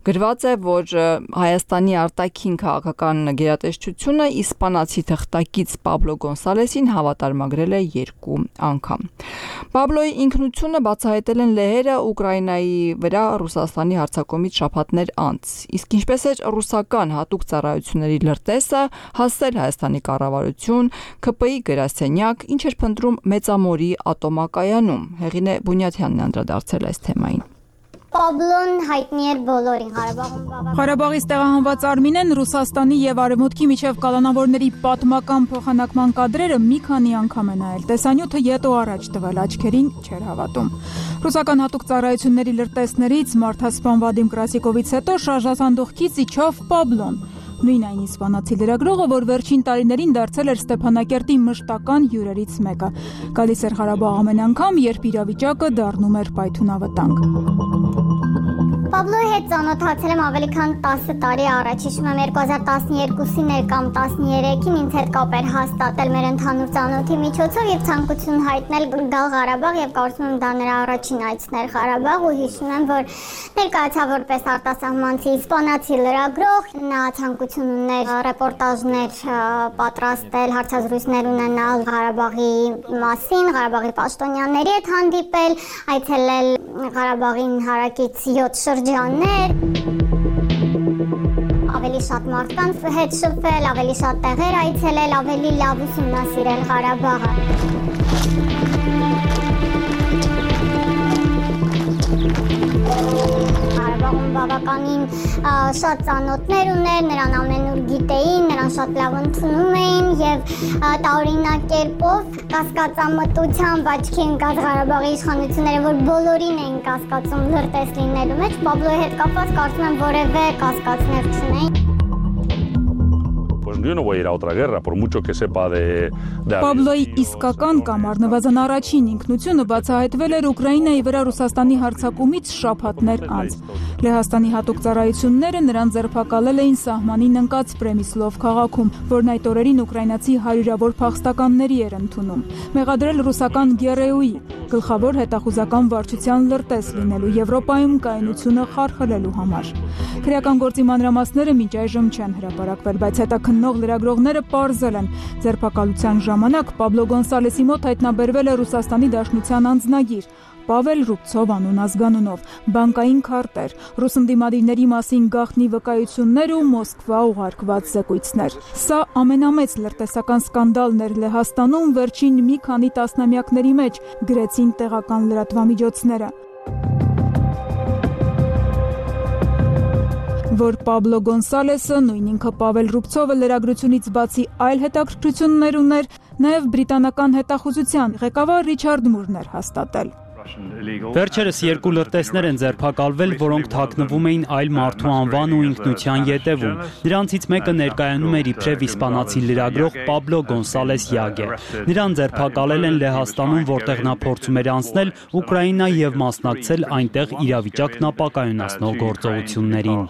գրված է, որ Հայաստանի արտաքին քաղաքական գերատեսչությունը իսպանացի թղթակից Պաբլո Գոնսալեսին հավատարմագրել է 2 անգամ։ Պաբլոյի ինքնությունը բացահայտել են լեհերը Ուկրաինայի վրա Ռուսաստանի հարձակումից շաբաթներ անց։ Իսկ ինչպես էր ռուսական հատուկ ծառայությունների լրտեսը հասել Հայաստանի կառավարություն, ՔՊ-ի գրասենյակ, ինչ էր փնտրում Մեծամորի ատոմակայանում։ Հեղինե Բունյաթյանն անդրադարձել այս թեմային։ Պաբլոն հայտնի էր բոլորին Ղարաբաղում։ Ղարաբաղից տեղահանված Արմինեն Ռուսաստանի եւ Արևմուտքի միջև կալանավորների պատմական փոխանակման կադրերը մի քանի անգամ է նայել։ Տեսանյութը յետո առաջ տվել, աչքերին չէր հավատում։ Ռուսական հատուկ ծառայությունների լրտեսներից մարդասպան Վադիմ Կրասիկովից հետո շարժասանդուղքից իջավ Պաբլոն։ Նույն այն իսպանացի լրագրողը, որ վերջին տարիներին դարձել էր Ստեփանակերտի մշտական հյուրերից մեկը։ Գալիս էր Ղարաբաղ ամեն անգամ, երբ իրավիճակը դառնում էր պայթունավտանգ։ Պաբլոյի հետ ծանոթացել եմ ավելի քան 10 տարի առաջ, հիշում եմ 2012-ին էր կամ 13-ին ինձ հետ կապ էր հաստատել մեր ընդհանուր ծանոթի միջոցով եւ ցանկություն հայտնել գալ Ղարաբաղ եւ կարծում եմ դա նրա առաջին այցն էր Ղարաբաղ ու հիշում եմ, որ ներկայացավ որպես արտասահմանցի իսպանացի լրագրող, նա ցանկություն ուներ ռեպորտաժներ պատրաստել, հարցազրույցներ ունենալ Ղարաբաղի մասին, Ղարաբաղի պաշտոնյաների հետ հանդիպել, այցելել Ղարաբաղին հարակից 7 շրջաններ, ավելի շատ մարդկանց հետ շփվել, ավելի շատ տեղեր այցելել, ավելի լավ ուսումնասիրել Ղարաբաղը։ Ղարաբաղում բավականին շատ ծանոթներ ուներ, նրան ամենուր գիտեին, նրան շատ լավ ընդունում էին եւ տարօրինակ կերպով կասկածամտությամբ աչքի ընկած Ղարաբաղի իշխանությունները, որ բոլորին էին կասկածում լրտես լինելու մեջ, Պաբլոյի հետ կապված կարծում եմ որևէ կասկածներ չունեին։ yo no voy a ir a otra guerra, por mucho que sepa de Պաբլոյի իսկական կամ առնվազն առաջին ինքնությունը բացահայտվել էր Ուկրաինայի վրա Ռուսաստանի հարձակումից շաբաթներ անց։ Լեհաստանի հատուկ ծառայությունները նրան ձերբակալել էին սահմանին ընկած Պրեմիսլով քաղաքում, որն այդ օրերին ուկրաինացի հարյուրավոր փախստականների էր ընդունում։ Մեղադրել ռուսական ԳՌՈ-ի գլխավոր հետախուզական վարչության լրտես լինելու Եվրոպայում կայունությունը խարխլելու համար։ Քրեական գործի մանրամասները մինչ այժմ չեն հրապարակվել, բայց հետաքննող լրագրողները պարզել են ձերբակալության ժամանակ Պաբլո Գոնսալեսի մոտ հայտնաբերվել է Ռուսաստանի Դաշնության անձնագիր Պավել Ռուբցով անուն ազգանունով, բանկային քարտեր, ռուս ընդդիմադիրների մասին գաղտնի վկայություններ ու Մոսկվա ուղարկված զեկույցներ։ Սա ամենամեծ լրտեսական սկանդալն էր Լեհաստանում վերջին մի քանի տասնամյակների մեջ, գրեցին տեղական լրատվամիջոցները։ Որ Պաբլո Գոնսալեսը, նույն ինքը Պավել Ռուբցովը լրագրությունից բացի այլ հետաքրքրություններ ուներ, նաև բրիտանական հետախուզության ղեկավար Ռիչարդ Մուրն էր հաստատել։ Վերջերս երկու լրտեսներ են ձերբակալվել, որոնք թաքնվում էին այլ մարդու անվան ու ինքնության ետևում։ Նրանցից մեկը ներկայանում էր իբրև իսպանացի լրագրող Պաբլո Գոնսալես Յագե։ Նրան ձերբակալել են Լեհաստանում, որտեղ նա փորձում էր անցնել Ուկրաինա եւ մասնակցել այնտեղ իրավիճակն ապակայունացնող գործողություններին։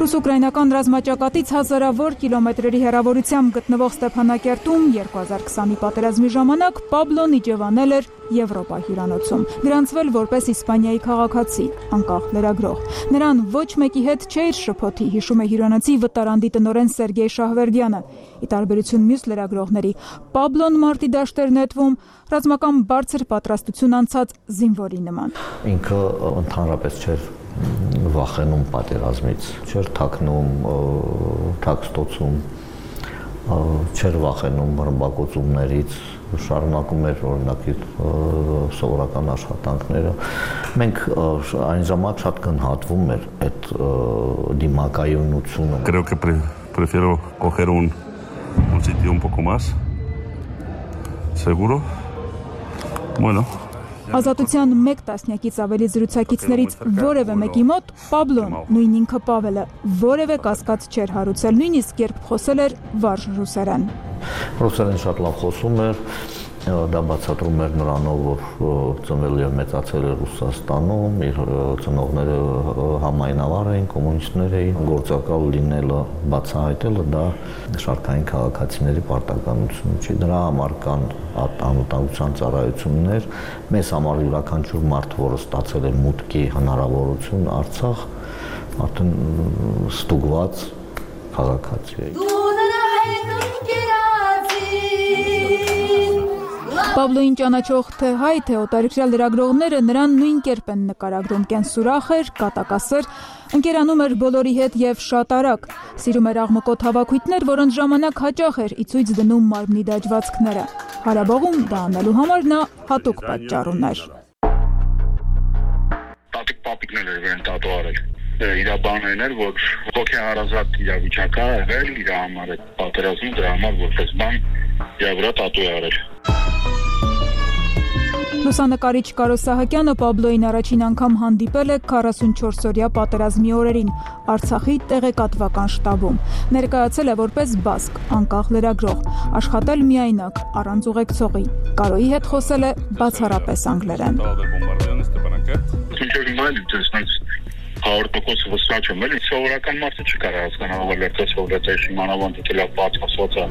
Ռուս-ուկրաինական ռազմաճակատից հազարավոր կիլոմետրերի հեռավորությամբ գտնվող Ստեփանակերտում 2020-ի պատերազմի ժամանակ Պաբլոն իջևանել էր Եվրոպա հյուրանոցում, գրանցվել որպես Իսպանիայի քաղաքացի, անկախ լրագրող։ Նրան ոչ մեկի հետ չէր շփոթի, հիշում է հյուրանոցի վտարանդի տնօրեն Սերգեյ Շահվերդյանը։ Ի տարբերություն մյուս լրագրողների, Պաբլոն մարտի դաշտեր նետվում ռազմական բարձր պատրաստություն անցած զինվորի նման։ Ինքը ընդհանրապես չէր վախենում պատերազմից, չէր թաքնում, թաքստոցում, չէր վախենում ռմբակոծումներից, շարունակում էր օրինակ իր սովորական աշխատանքները։ Մենք այն ժամանակ շատ գնահատվում էր այդ դիմակայունությունը։ Creo que prefiero coger un sitio un poco más seguro. Bueno. Ազատության մեկ տասնյակից ավելի զրուցակիցներից որևէ մեկի մոտ Պաբլոն, նույն ինքը Պավելը, որևէ կասկած չէր հարուցել, նույնիսկ երբ խոսել էր վարժ ռուսերեն։ Ռուսերեն շատ լավ խոսում էր, դա բացատրում էր նրանով, որ ծնվել եւ մեծացել էր Ռուսաստանում, իր ծնողները համայնավար էին, կոմունիստներ էին, գործակալ լինելը, բացահայտելը դա շարքային քաղաքացիների պարտականություն չի։ Դրա համար կան անվտանգության ծառայություններ, մեզ համար յուրաքանչյուր մարդ, որը ստացել է մուտքի հնարավորություն Արցախ, արդեն ստուգված քաղաքացի է։ Պաբլոին ճանաչող թե հայ, թե օտարերկրյա լրագրողները նրան նույն կերպ են նկարագրում, կենսուրախ էր, կատակասեր, ընկերանում էր բոլորի հետ եւ շատ արագ, սիրում էր աղմկոտ հավաքույթներ, որոնց ժամանակ հաճախ էր ի ցույց դնում մարմնի դաջվածքները։ Հարաբաղում դա անելու համար նա հատուկ պատճառ ուներ։ Տատիկ-պապիկներ էր վեն տատու արել։ Իր բանն էր, որ հոգեհարազատ իրավիճակ է եղել, իր համար է պատերազմում, դրա համար որպես բան իր վրա տատու է արել։ Լուսանկարիչ Կարո Սահակյանը Պաբլոին առաջին անգամ հանդիպել է 44-օրյա պատերազմի օրերին Արցախի տեղեկատվական շտաբում։ Ներկայացել է որպես բասկ, անկախ լրագրող, աշխատել միայնակ, առանց ուղեկցողի։ Կարոյի հետ խոսել է բացառապես անգլերեն։ Հաղորդակոց վստահ չեմ, էլի սովորական մարդը չի կարող հասկանալ, որ լրտես հովլետես իմանավան դիտելա բաց ասվածա։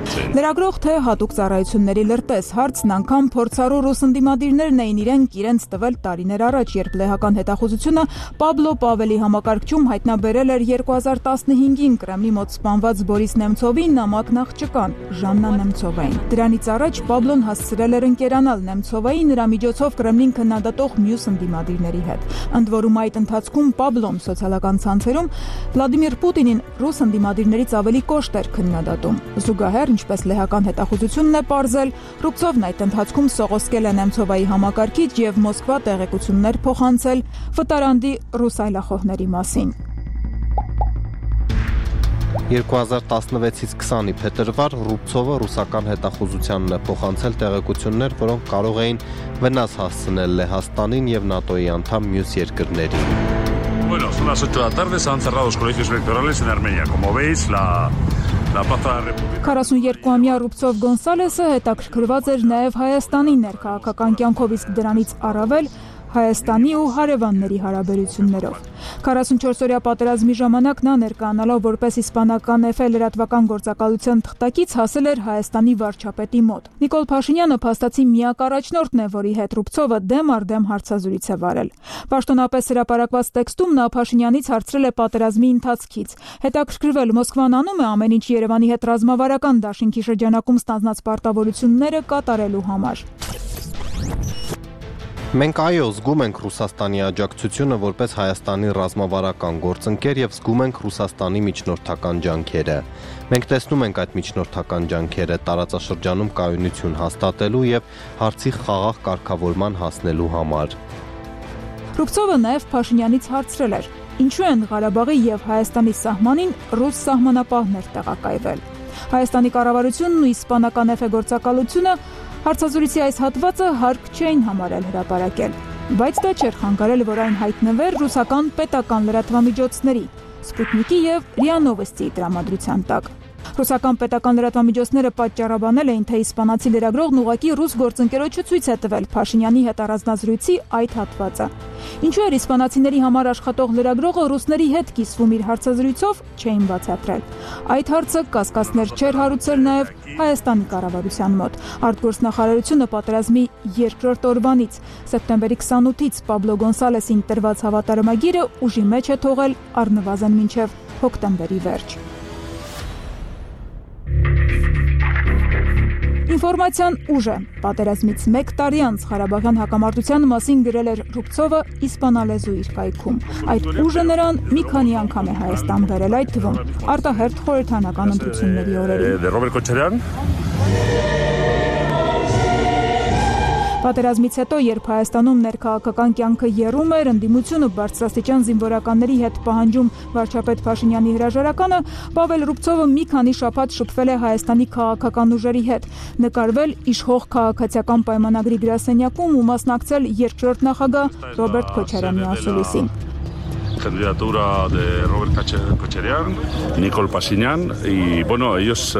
Լրագրող թե հատուկ ծառայությունների լրտես հարցն անգամ փորձառու ռուս ընդդիմադիրներն էին իրենց տվել տարիներ առաջ, երբ լեհական հետախուզությունը Պաբլո Պավելի համակարգչում հայտնաբերել էր 2015-ին Կրեմլի մոտ սպանված Բորիս Նեմցովի նամակ աղջկան Ժաննա Նեմցովային։ Դրանից առաջ Պաբլոն հասցրել էր ընկերանալ Նեմցովայի, նրա միջոցով Կրեմլին քննադատող մյուս ընդդիմադիրների հետ։ Ընդ որում այդ ընթացքում Պաբլոն սոցիալական ցանցերում Վլադիմիր Պուտինին ռուս ընդդիմադիրներից ավելի կոշտ էր քննադատում։ Զուգահեռ, ինչպես լեհական հետախուզությունն է պարզել, Ռուբցովն այդ ընթացքում սողոսկել է Նեմցովայի համակարգիչ եւ Մոսկվա տեղեկություններ փոխանցել վտարանդի ռուս այլախոհների մասին։ 2016-ից 20-ի փետրվար Ռուբցովը ռուսական հետախուզությանն է փոխանցել տեղեկություններ, որոնք կարող էին վնաս հասցնել Լեհաստանին եւ ՆԱՏՕ-ի անդամ մյուս երկրներին։ Bueno, son las 8 de la tarde, se han cerrado los colegios electorales en Armenia. Como veis, la Plaza de la República. 42-ամյա Ռուբցով Գոնսալեսը հետաքրքրված էր նաև Հայաստանի ներքաղաքական կյանքով, իսկ դրանից առավել Հայաստանի ու հարևանների հարաբերություններով։ 44-օրյա պատերազմի ժամանակ նա ներկայանալով որպես իսպանական Էֆե լրատվական գործակալության թղթակից հասել էր Հայաստանի վարչապետի մոտ։ Նիկոլ Փաշինյանը փաստացի միակ առաջնորդն է, որի հետ Ռուբցովը դեմ առ դեմ հարցազրույց է վարել։ Պաշտոնապես հրապարակված տեքստում նա Փաշինյանից հարցրել է պատերազմի ընթացքից։ Հետաքրքրվել Մոսկվան անում է ամեն ինչ Երևանի հետ ռազմավարական դաշինքի շրջանակում ստանձնած պարտավորությունները կատարելու համար։ Մենք այո, զգում ենք Ռուսաստանի աջակցությունը որպես Հայաստանի ռազմավարական գործընկեր եւ զգում ենք Ռուսաստանի միջնորդական ջանքերը։ Մենք տեսնում ենք այդ միջնորդական ջանքերը տարածաշրջանում կայունություն հաստատելու եւ հարցի խաղաղ կարգավորման հասնելու համար։ Ռուբցովը նաև Փաշինյանից հարցրել էր. ինչու են Ղարաբաղի եւ Հայաստանի սահմանին ռուս սահմանապահներ տեղակայվել։ Հայաստանի կառավարությունն ու իսպանական Էֆե գործակալությունը հարցազրույցի այս հատվածը հարկ չէին համարել հրապարակել, բայց դա չէր խանգարել, որ այն հայտնվեր ռուսական պետական լրատվամիջոցների, Սպուտնիկի եւ ՌԻԱ Նովոստիի տրամադրության տակ։ Ռուսական պետական լրատվամիջոցները պատճառաբանել էին, թե իսպանացի լրագրողն ուղղակի ռուս գործընկերոջը ցույց է տվել Փաշինյանի հետ առանձնազրույցի այդ հատվածը։ Ինչու էր իսպանացիների համար աշխատող լրագրողը ռուսների հետ կիսվում իր հարցազրույցով, չէին բացատրել։ Այդ հարցը կասկածներ չէր հարուցել նաև Հայաստանի կառավարության մոտ։ Արտգործնախարարությունը պատերազմի երկրորդ օրվանից սեպտեմբերի 28-ից Պաբլո Գոնսալեսին տրված հավատարմագիրը ուժի մեջ է թողել առնվազն մինչև հոկտեմբերի վերջ։ Ինֆորմացիան ուժը պատերազմից 1 տարի անց Ղարաբաղյան հակամարտության մասին գրել էր Ռուբցովը իսպանալեզու իր կայքում։ Այդ ուժը նրան մի քանի անգամ է Հայաստան բերել, այդ թվում արտահերթ խորհրդանական ընտրությունների օրերին։ Պատերազմից հետո, երբ Հայաստանում ներքաղաքական կյանքը եռում էր, ընդդիմությունը բարձրաստիճան զինվորականների հետ պահանջում վարչապետ Փաշինյանի հրաժարականը, Պավել Ռուբցովը մի քանի շաբաթ շփվել է Հայաստանի քաղաքական ուժերի հետ, նկարվել իշխող քաղաքացիական պայմանագրի գրասենյակում ու մասնակցել երկրորդ նախագահ Ռոբերտ Քոչարյանի ասուլիսին։ Candidatura de Robert Kocharian, Nicol Pashinyan y bueno, ellos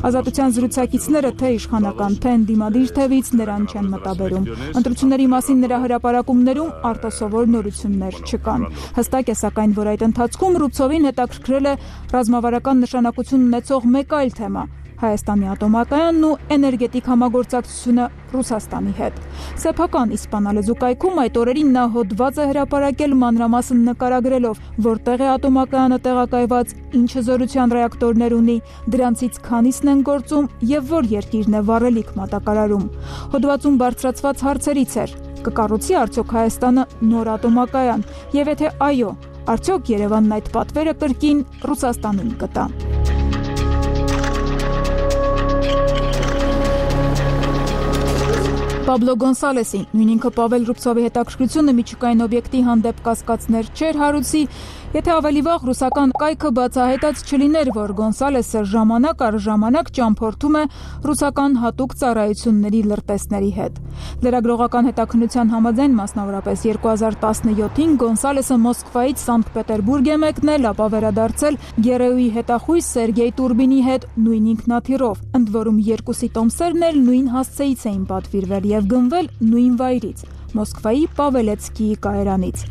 Ազատության զրուցակիցները թե իշխանական, թե ընդդիմադիր թևից նրան չեն մտաբերում։ Ընտրությունների մասին նրա հրապարակումներում արտասովոր նորություններ չկան։ Հստակ է սակայն, որ այդ ընթացքում Ռուբցովին հետաքրքրել է ռազմավարական նշանակություն ունեցող մեկ այլ թեմա՝ Հայաստանի ատոմակայանն ու էներգետիկ համագործակցությունը Ռուսաստանի հետ։ Սեփական իսպանալեզու կայքում այդ օրերին նա հոդված է հրապարակել մանրամասն նկարագրելով, որտեղ է ատոմակայանը տեղակայված, ինչ հզորության ռեակտորներ ունի, դրանցից քանիսն են գործում եւ որ երկիրն է վառելիք մատակարարում։ Հոդվածում բարձրացված հարցերից էր. կկառուցի արդյոք Հայաստանը նոր ատոմակայան, եւ եթե այո, արդյոք Երևանն այդ պատվերը կրկին Ռուսաստանին կտա։ Պաբլո Գոնսալեսին, նույն ինքը Պավել Ռուբցովի հետաքրքրությունը միջուկային օբյեկտի հանդեպ կասկածներ չէր հարուցի, եթե ավելի վաղ ռուսական կայքը բացահայտած չլիներ, որ Գոնսալեսը ժամանակ առ ժամանակ ճամփորդում է ռուսական հատուկ ծառայությունների լրտեսների հետ։ Լրագրողական հետաքննության համաձայն, մասնավորապես 2017-ին Գոնսալեսը Մոսկվայից Սանկտ Պետերբուրգ է մեկնել, ապա վերադարձել ԳՌՈ-ի հետախույզ Սերգեյ Տուրբինի հետ նույն ինքնաթիռով, ընդ որում երկուսի տոմսերն էլ նույն հասցեից էին պատվիրվել եւ գնվել նույն վայրից՝ Մոսկվայի Պավելեցկիի կայարանից։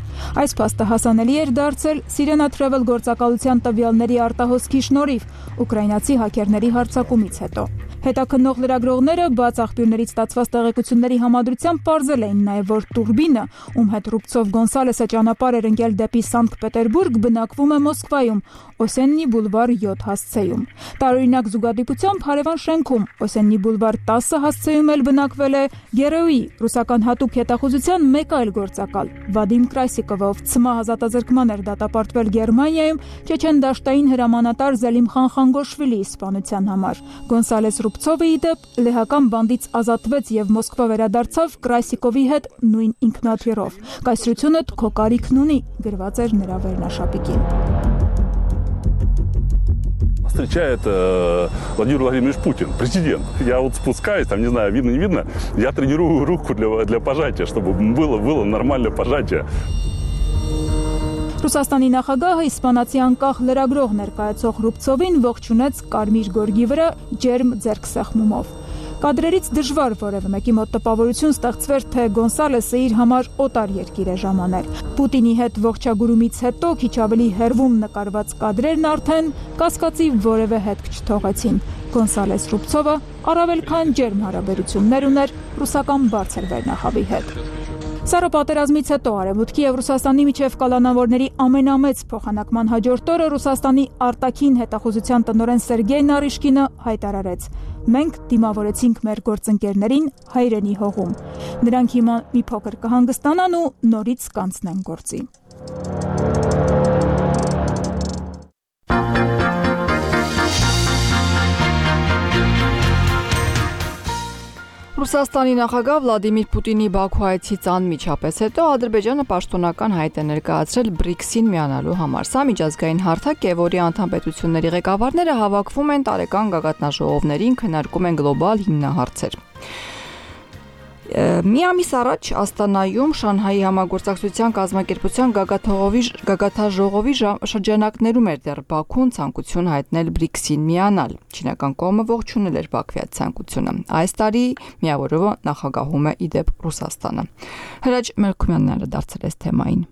Այս փաստը հասանելի էր դարձել Sirena Travel գործակալության տվյալների արտահոսքի շնորհիվ ուկրաինացի հաքերների հարձակումից հետո։ Հետաքննող լրագրողները բաց աղբյուրներից ստացված տեղեկությունների համադրությամբ պարզել էին նաև, որ Տուրբինը, ում հետ Ռուբցով Գոնսալեսը ճանապարհ էր ընկել դեպի Սանկտ Պետերբուրգ, բնակվում է Մոսկվայում, Օսեննի բուլվար 7 հասցեում։ Տարօրինակ զուգադիպությամբ հարևան շենքում Օսեննի բուլվար 10 հասցեում էլ բնակվել է ԳՌՕ-ի ռուսական հատուկ հետախուզության մեկ այլ գործակալ Վադիմ Կրասիկովը, ով ՑՄ ազատազրկման էր դատապարտվել Գերմանիայում Չեչեն դաշտային հրամանատար Զելիմխան Խանգոշվիլիի սպանության համար։ Գոնսալես Ռուբցովը ի դեպ լեհական բանդից ազատվեց եւ Մոսկվա վերադարձավ Կրասիկովի հետ նույն ինքնաթիռով։ Կայսրությունը քո կարիքն ունի, գրված էր նրա վերնաշապիկին։ встречает Владимир Владимирович Путин, президент. Я вот спускаюсь, там, не знаю, видно, не видно, я тренирую руку для пожатия, чтобы было нормальное пожатие. Ռուսաստանի նախագահը իսպանացի անկախ լրագրող ներկայացող Ռուբցովին ողջունեց կարմիր գորգի վրա ջերմ ձեռքսեղմումով։ Կադրերից դժվար որևէ մեկի մոտ տպավորություն ստեղծվեր, թե Գոնսալեսը իր համար օտար երկիր է ժամանել։ Պուտինի հետ ողջագուրումից հետո քիչ ավելի հեռվում նկարված կադրերն արդեն կասկածի որևէ հետք չթողեցին։ Գոնսալես Ռուբցովը առավել քան ջերմ հարաբերություններ ուներ ռուսական բարձր վերնախավի հետ։ Սառը պատերազմից հետո Արևմուտքի եւ Ռուսաստանի միջև կալանավորների ամենամեծ փոխանակման հաջորդ օրը Ռուսաստանի արտաքին հետախուզության տնօրեն Սերգեյ Նարիշկինը հայտարարեց. «Մենք դիմավորեցինք մեր գործընկերներին հայրենի հողում։ Նրանք հիմա մի փոքր կհանգստանան ու նորից կանցնեն գործի»։ Ռուսաստանի նախագահ Վլադիմիր Պուտինի Բաքու այցից անմիջապես հետո Ադրբեջանը պաշտոնական հայտ է ներկայացրել BRICS-ին միանալու համար։ Սա միջազգային հարթակ է, որի անդամ պետությունների ղեկավարները հավաքվում են տարեկան գագաթնաժողովներին, քննարկում են գլոբալ հիմնահարցեր։ Մի ամիս առաջ Աստանայում Շանհայի համագործակցության կազմակերպության գագաթնաժողովի շրջանակներում էր դեռ Բաքուն ցանկություն հայտնել BRICS-ին միանալ։ Չինական կողմը ողջունել էր Բաքվի այդ ցանկությունը։ Այս տարի միավորովը նախագահում է իդեպ Ռուսաստանը։ Հրաչ Մելքումյանն անդրադարձել է թեմային։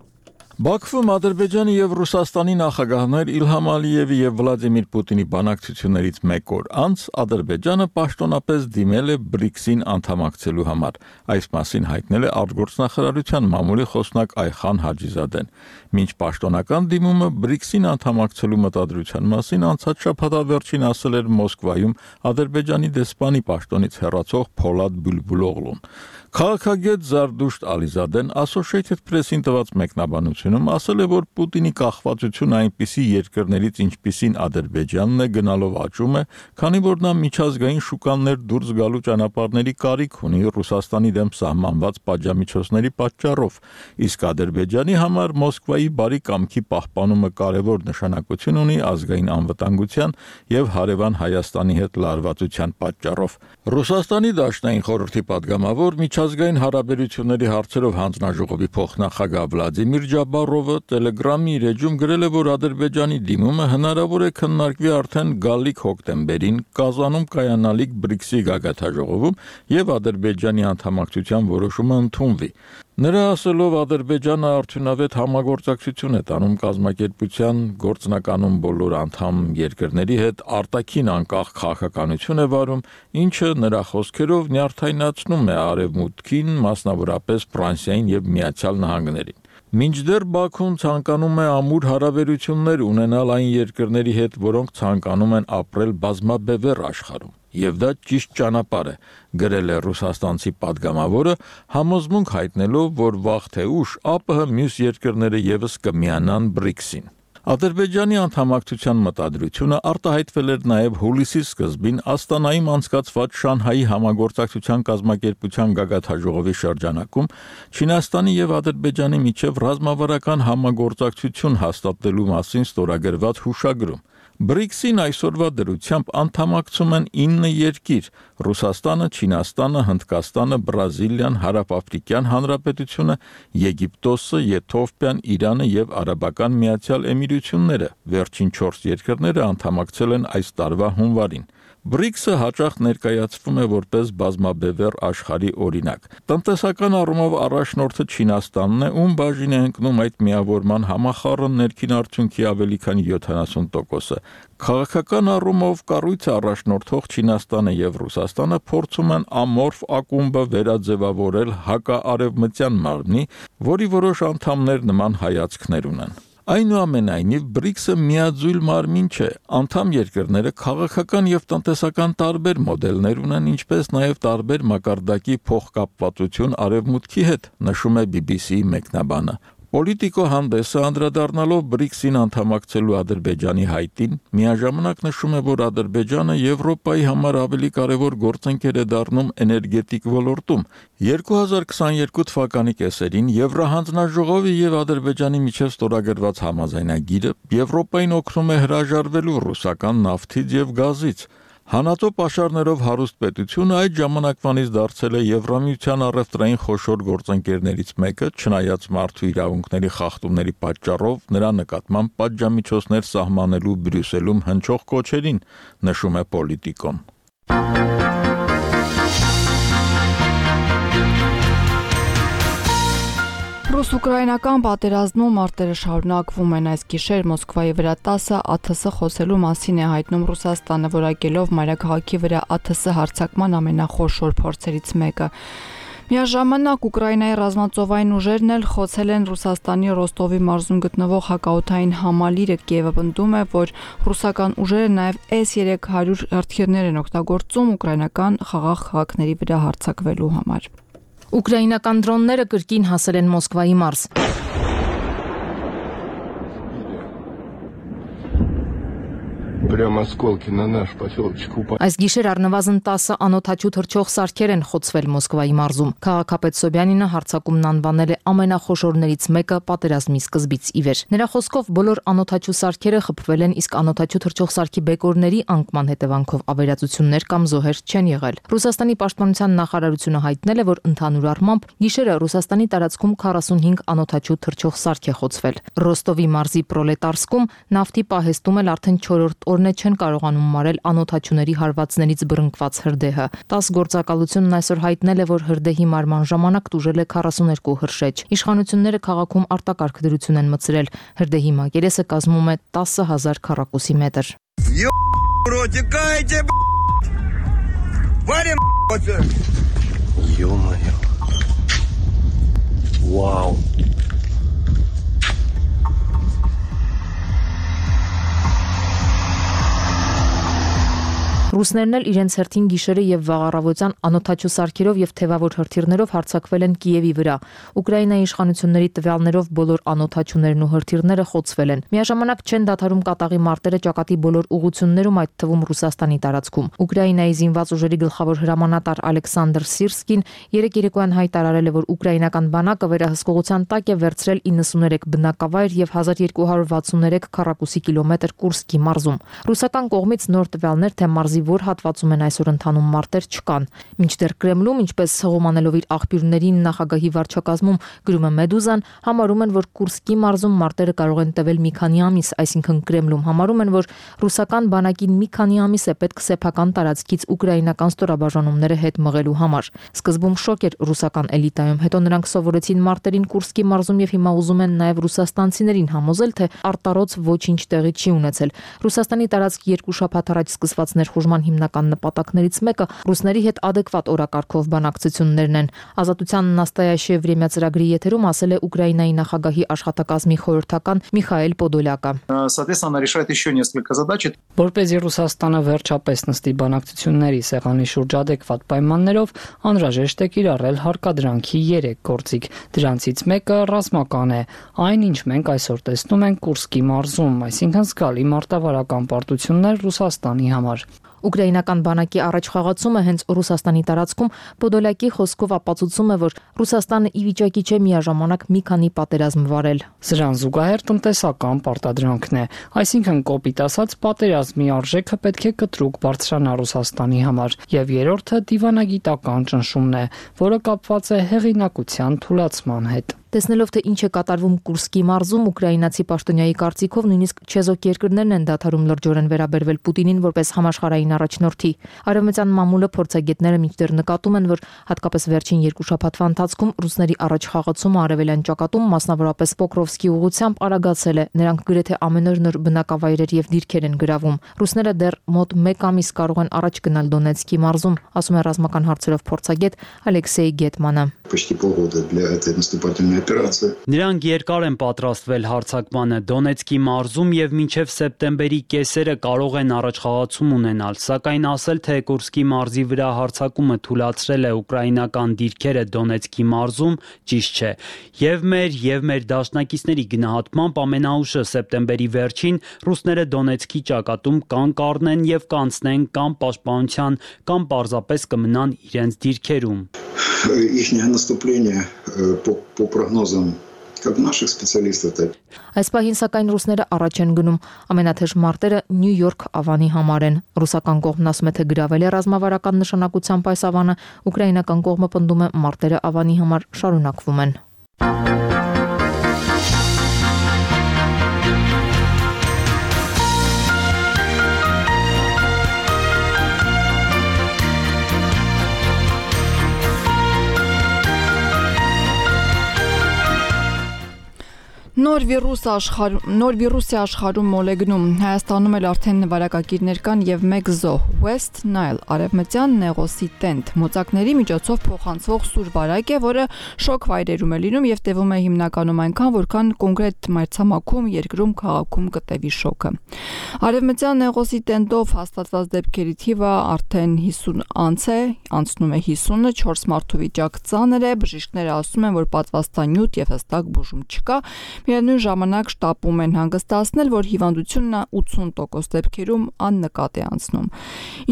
Բաքվում Ադրբեջանի եւ Ռուսաստանի նախագահներ Իլհամ Ալիևի եւ Վլադիմիր Պուտինի բանակցություններից մեկ օր անց Ադրբեջանը պաշտոնապես դիմել է BRICS-ին անդամակցելու համար։ Այս մասին հայտնել է արտգործնախարարության մամուլի խոսնակ Այխան Հաջիզադեն։ Մինչ պաշտոնական դիմումը BRICS-ին անդամակցելու մտադրության մասին անցած շաբաթավերջին ասել էր Մոսկվայում Ադրբեջանի դեսպանի պաշտոնից հեռացող Փոլադ Բուլբուլօղլուն։ Քաղաքագետ Զարդուշտ Ալիզադեն Associated Press-ին տված մեկնաբանությունում ասել է, որ Պուտինի կախվածությունը այնպիսի երկրներից, ինչպիսին Ադրբեջանն է, գնալով աճում է, քանի որ նա միջազգային շուկաներ դուրս գալու ճանապարհների կարիք ունի Ռուսաստանի դեմ սահմանված պատժամիջոցների պատճառով, իսկ Ադրբեջանի համար Մոսկվայի բարի կամքի պահպանումը կարևոր նշանակություն ունի ազգային անվտանգության եւ հարևան Հայաստանի հետ լարվածության պատճառով։ Ռուսաստանի Դաշնային խորհրդի падգամավոր միջազգային հարաբերությունների հարցերով հանձնաժողովի փոխնախագահ Վլադիմիր Ջաբարովը Telegram-ի իր էջում գրել է, որ Ադրբեջանի դիմումը հնարավոր է քննարկվի արդեն գալիք հոկտեմբերին Կազանում կայանալիք BRICS-ի գագաթնաժողովում եւ Ադրբեջանի անդամակցության որոշումը ընդունվի։ Նրա ասելով Ադրբեջանը արդյունավետ համագործակցություն է տանում կազմակերպության գործնականում բոլոր անդամ երկրների հետ արտաքին անկախ քաղաքականություն է վարում, ինչը նրա խոսքերով նյարդայնացնում է Արևմուտքին, մասնավորապես Ֆրանսիային եւ Միացյալ Նահանգներին։ Մինչդեռ Բաքուն ցանկանում է ամուր հարաբերություններ ունենալ այն երկրների հետ, որոնք ցանկանում են ապրել բազմաբևեռ աշխարհում։ Եվ դա ճիշտ ճանապարհ է, գրել է ռուսաստանցի падգամավորը, համոզմունք հայտնելով, որ վաղ թե ուշ ԱՊՀ մյուս երկրները եւս կմիանան BRICS-ին։ Ադրբեջանի անդամակցության մտադրությունը արտահայտվել էր նաև հուլիսի սկզբին Աստանայում անցկացված Շանհայի համագործակցության կազմակերպության գագաթնաժողովի շրջանակում Չինաստանի եւ Ադրբեջանի միջև ռազմավարական համագործակցություն հաստատելու մասին ստորագրված հուշագրում։ BRICS-ին այսօրվա դրությամբ անդամակցում են 9 երկիր՝ Ռուսաստանը, Չինաստանը, Հնդկաստանը, Բրազիլիան, Հարավաֆրիկյան Հանրապետությունը, Եգիպտոսը, Եթովպիան, Իրանը եւ Արաբական Միացյալ Էմիրությունները։ Վերջին 4 երկրները անդամակցել են այս տարվա հունվարին։ BRICS-ը հաճախ ներկայացվում է որպես բազմաբևեռ աշխարհի օրինակ։ Տնտեսական առումով առաջնորդը Չինաստանն է, ում բաժին է ընկնում այդ միավորման համախառն ներքին արդյունքի ավելի քան 70%-ը։ Քաղաքական առումով կառույցը առաջնորդող Չինաստանը եւ Ռուսաստանը փորձում են ամորֆ ակումբը վերաձևավորել հակաարևմտյան մարմնի, որի որոշ անդամներ նման հայացքներ ունեն։ Այնուամենայնիվ BRICS-ը միաձույլ մարմին չէ, անդամ երկրները քաղաքական եւ տնտեսական տարբեր մոդելներ ունեն, ինչպես նաեւ տարբեր մակարդակի փոխկապվածություն արևմուտքի հետ, նշում է BBC-ի մեկնաբանը։ Պոլիտիկո հանդեսը անդրադառնալով BRICS-ին անդամակցելու Ադրբեջանի հայտին, միաժամանակ նշում է, որ Ադրբեջանը Եվրոպայի համար ավելի կարևոր գործընկեր է դառնում էներգետիկ ոլորտում։ 2022 թվականի կեսերին Եվրահանձնաժողովի եւ Ադրբեջանի միջև ստորագրված համաձայնագիրը Եվրոպային օգնում է հրաժարվելու ռուսական նավթից եւ գազից։ Հանածո պաշարներով հարուստ պետությունը այդ ժամանակվանից դարձել է Եվրամիության առևտրային խոշոր գործընկերներից մեկը, չնայած մարդու իրավունքների խախտումների պատճառով նրա նկատմամբ պատժամիջոցներ սահմանելու Բրյուսելում հնչող կոչերին, նշում է Պոլիտիկոն։ Ռուս-ուկրաինական պատերազմում մարտերը շարունակվում են։ Այս գիշեր Մոսկվայի վրա 10 ԱԹՍ խոսելու մասին է հայտնում Ռուսաստանը, որակելով մայրաքաղաքի վրա ԱԹՍ հարձակման ամենախոշոր փորձերից մեկը։ Միաժամանակ Ուկրաինայի ռազմածովային ուժերն էլ խոցել են Ռուսաստանի Ռոստովի մարզում գտնվող հակաօդային համալիրը։ Կիևը պնդում է, որ ռուսական ուժերը նաև S-300 հրթիռներ են օգտագործում ուկրաինական խաղաղ քաղաքների վրա հարձակվելու համար։ Ուկրաինական դրոնները կրկին հասել են Մոսկվայի մարզ։ Прямо осколки на наш поселочек упали. Այս գիշեր առնվազն 10 անօդաչու թռչող սարքեր են խոցվել Մոսկվայի մարզում։ Քաղաքապետ Սոբյանինը հարձակումն անվանել է ամենախոշորներից մեկը պատերազմի սկզբից ի վեր։ Նրա խոսքով բոլոր անօդաչու սարքերը խփվել են, իսկ անօդաչու թռչող սարքի բեկորների անկման հետևանքով ավերածություններ կամ զոհեր չեն եղել։ Ռուսաստանի պաշտպանության նախարարությունը հայտնել է, որ ընդհանուր առմամբ գիշերը Ռուսաստանի տարածքում 45 անօդաչու թռչող սարք է խոցվել։ Ռոստովի մարզի Պրոլետարսկում նավթի պահեստում էլ արդեն 4-րդ օրն է չեն կարողանում մարել անօդաչուների հարվածներից բռնկված հրդեհը։ 10 գործակալությունն այսօր հայտնել է, որ հրդեհի մարման ժամանակ տուժել է 42 հրշեջ։ Իշխանությունները քաղաքում արտակարգ դրություն են մտցրել։ Հրդեհի մակերեսը կազմում է 10,000 քառակուսի մետր։ Вау. Ռուսներն էլ իրենց հերթին գիշերը եւ վաղառավոտյան անօդաչու սարքերով եւ թևավոր հրթիռներով հարձակվել են Կիևի վրա։ Ուկրաինայի իշխանությունների տվյալներով բոլոր անօդաչուներն ու հրթիռները խոցվել են։ Միաժամանակ չեն դադարում կատաղի մարտերը ճակատի բոլոր ուղություններում, այդ թվում Ռուսաստանի տարածքում։ Ուկրաինայի զինված ուժերի գլխավոր հրամանատար Ալեքսանդր Սիրսկին երեկ երեկոյան հայտարարել է, որ ուկրաինական բանակը վերահսկողության տակ է վերցրել 93 բնակավայր եւ 1263 քառակուսի կիլոմետր Կուրսկի մարզում։ Ռուսական կողմից նոր տվյալներ թե մարզի որ հատվածում են այսօր ընթանում մարտեր չկան։ Մինչդեռ Կրեմլում, ինչպես հողոմանելով իր աղբյուրներին նախագահի վարչակազմում գրում է Մեդուզան, համարում են, որ Կուրսկի մարզում մարտերը կարող են տևել մի քանի ամիս, այսինքն Կրեմլում համարում են, որ ռուսական բանակին մի քանի ամիս է պետք սեփական տարածքից ուկրաինական ստորաբաժանումները հետ մղելու համար։ Սկզբում շոկ էր ռուսական էլիտայում, հետո նրանք սովորեցին մարտերին Կուրսկի մարզում եւ հիմա ուզում են նաեւ ռուսաստանցիներին համոզել, թե արտարոց ոչինչ տեղի չի ունեցել։ Ռուսաստանի տարածք 2 շաբաթ առաջ սկսված ներխուժման հիմնական նպատակներից մեկը ռուսների հետ ադեկվատ օրակարգով բանակցություններն են։ Ազատության Նաստայաշե Վրեմյա ծրագրի եթերում ասել է Ուկրաինայի նախագահի աշխատակազմի խորհրդական Միխայել Պոդոլյակը։ Соответственно, решает еще несколько задач. Որպեսզի Ռուսաստանը վերջապես նստի բանակցությունների սեղանի շուրջ ադեկվատ պայմաններով, անհրաժեշտ է կիրառել հարկադրանքի 3 գործիք։ Դրանցից մեկը ռազմական է, այն ինչ մենք այսօր տեսնում ենք Կուրսկի մարզում, այսինքն զգալի մարտավարական պարտություններ Ռուսաստանի համար։ Ուկրաինական բանակի առաջխաղացումը հենց Ռուսաստանի տարածքում Պոդոլյակի խոսքով ապացուցում է, որ Ռուսաստանը ի վիճակի չէ միաժամանակ մի քանի պատերազմ վարել։ Սրան զուգահեռ տնտեսական պարտադրանքն է, այսինքն կոպիտ ասած պատերազմի արժեքը պետք է կտրուկ բարձրանա Ռուսաստանի համար, եւ երրորդը դիվանագիտական ճնշումն է, որը կապված է հեղինակության թուլացման հետ։ Տեսնելով թե ինչ է կատարվում Կուրսկի մարզում, ուկրաինացի պաշտոնյայի կարծիքով նույնիսկ չեզոք երկրներն են դադարում լրջորեն վերաբերվել Պուտինին որպես համաշխարհային առաջնորդի։ Արևմտյան մամուլը փորձագետները մինչդեռ նկատում են, որ հատկապես վերջին 2 շաբաթվա ընթացքում ռուսների առաջխաղացումը արևելյան ճակատում, մասնավորապես Պոկրովսկի ուղղությամբ արագացել է։ Նրանք գրեթե ամեն օր նոր բնակավայրեր եւ դիրքեր են գրավում։ Ռուսները դեռ մոտ 1 ամիս կարող են առաջ գնալ Դոնեցկի մարզում, ասում է ռազմական հարցերով փորձագետ Ալեքսեյ Գետմանը։ Почти полгода для этой наступательной операция. Նրանք երկար են պատրաստվել հարձակմանը Դոնեցկի մարզում եւ մինչեւ սեպտեմբերի կեսերը կարող են առաջխաղացում ունենալ, սակայն ասել, թե Կուրսկի մարզի վրա հարձակումը թույլատրել է ուկրաինական դիրքերը Դոնեցկի մարզում, ճիշտ չէ։ Եվ մեր դաշնակիցների գնահատմամբ ամենաուշը սեպտեմբերի վերջին ռուսները Դոնեցկի ճակատում կան կառնեն եւ կանցնեն կամ պաշտպանության կամ պարզապես կմնան իրենց դիրքերում։ Ихнее наступление по прогнозам как наших специалистов, так. Այս պահին սակայն ռուսները առաջ են գնում։ Ամենաթեժ մարտերը Նյու Յորք ավանի համար են։ Ռուսական կողմն ասում է, թե գրավել է ռազմավարական նշանակությամբ այս ավանը, ուկրաինական կողմը պնդում է, մարտերը ավանի համար շարունակվում են։ Նոր վիրուսի աշխարհում մոլեգնում Հայաստանում էլ արդեն նվարակագիրներ կան եւ մեկ զոհ West Nile արևմտյան նեղոսի տենտ մոծակների միջոցով փոխանցվող սուր վարակ է, որը շոկ վայրերում է լինում եւ տևում է հիմնականում այնքան, որքան կոնկրետ մայրցամաքում, երկրում, քաղաքում կտևի շոկը։ Արևմտյան նեղոսի տենտով հաստատված դեպքերի թիվը արդեն 50 անց է, անցնում է 50-ը, 4 մարդու վիճակ ծանր է, բժիշկները ասում են, որ պատվաստանյութ եւ հստակ բուժում չկա։ Միևնույն ժամանակ շտապում են հանգստացնել, որ հիվանդությունը 80% դեպքերում աննկատ է անցնում։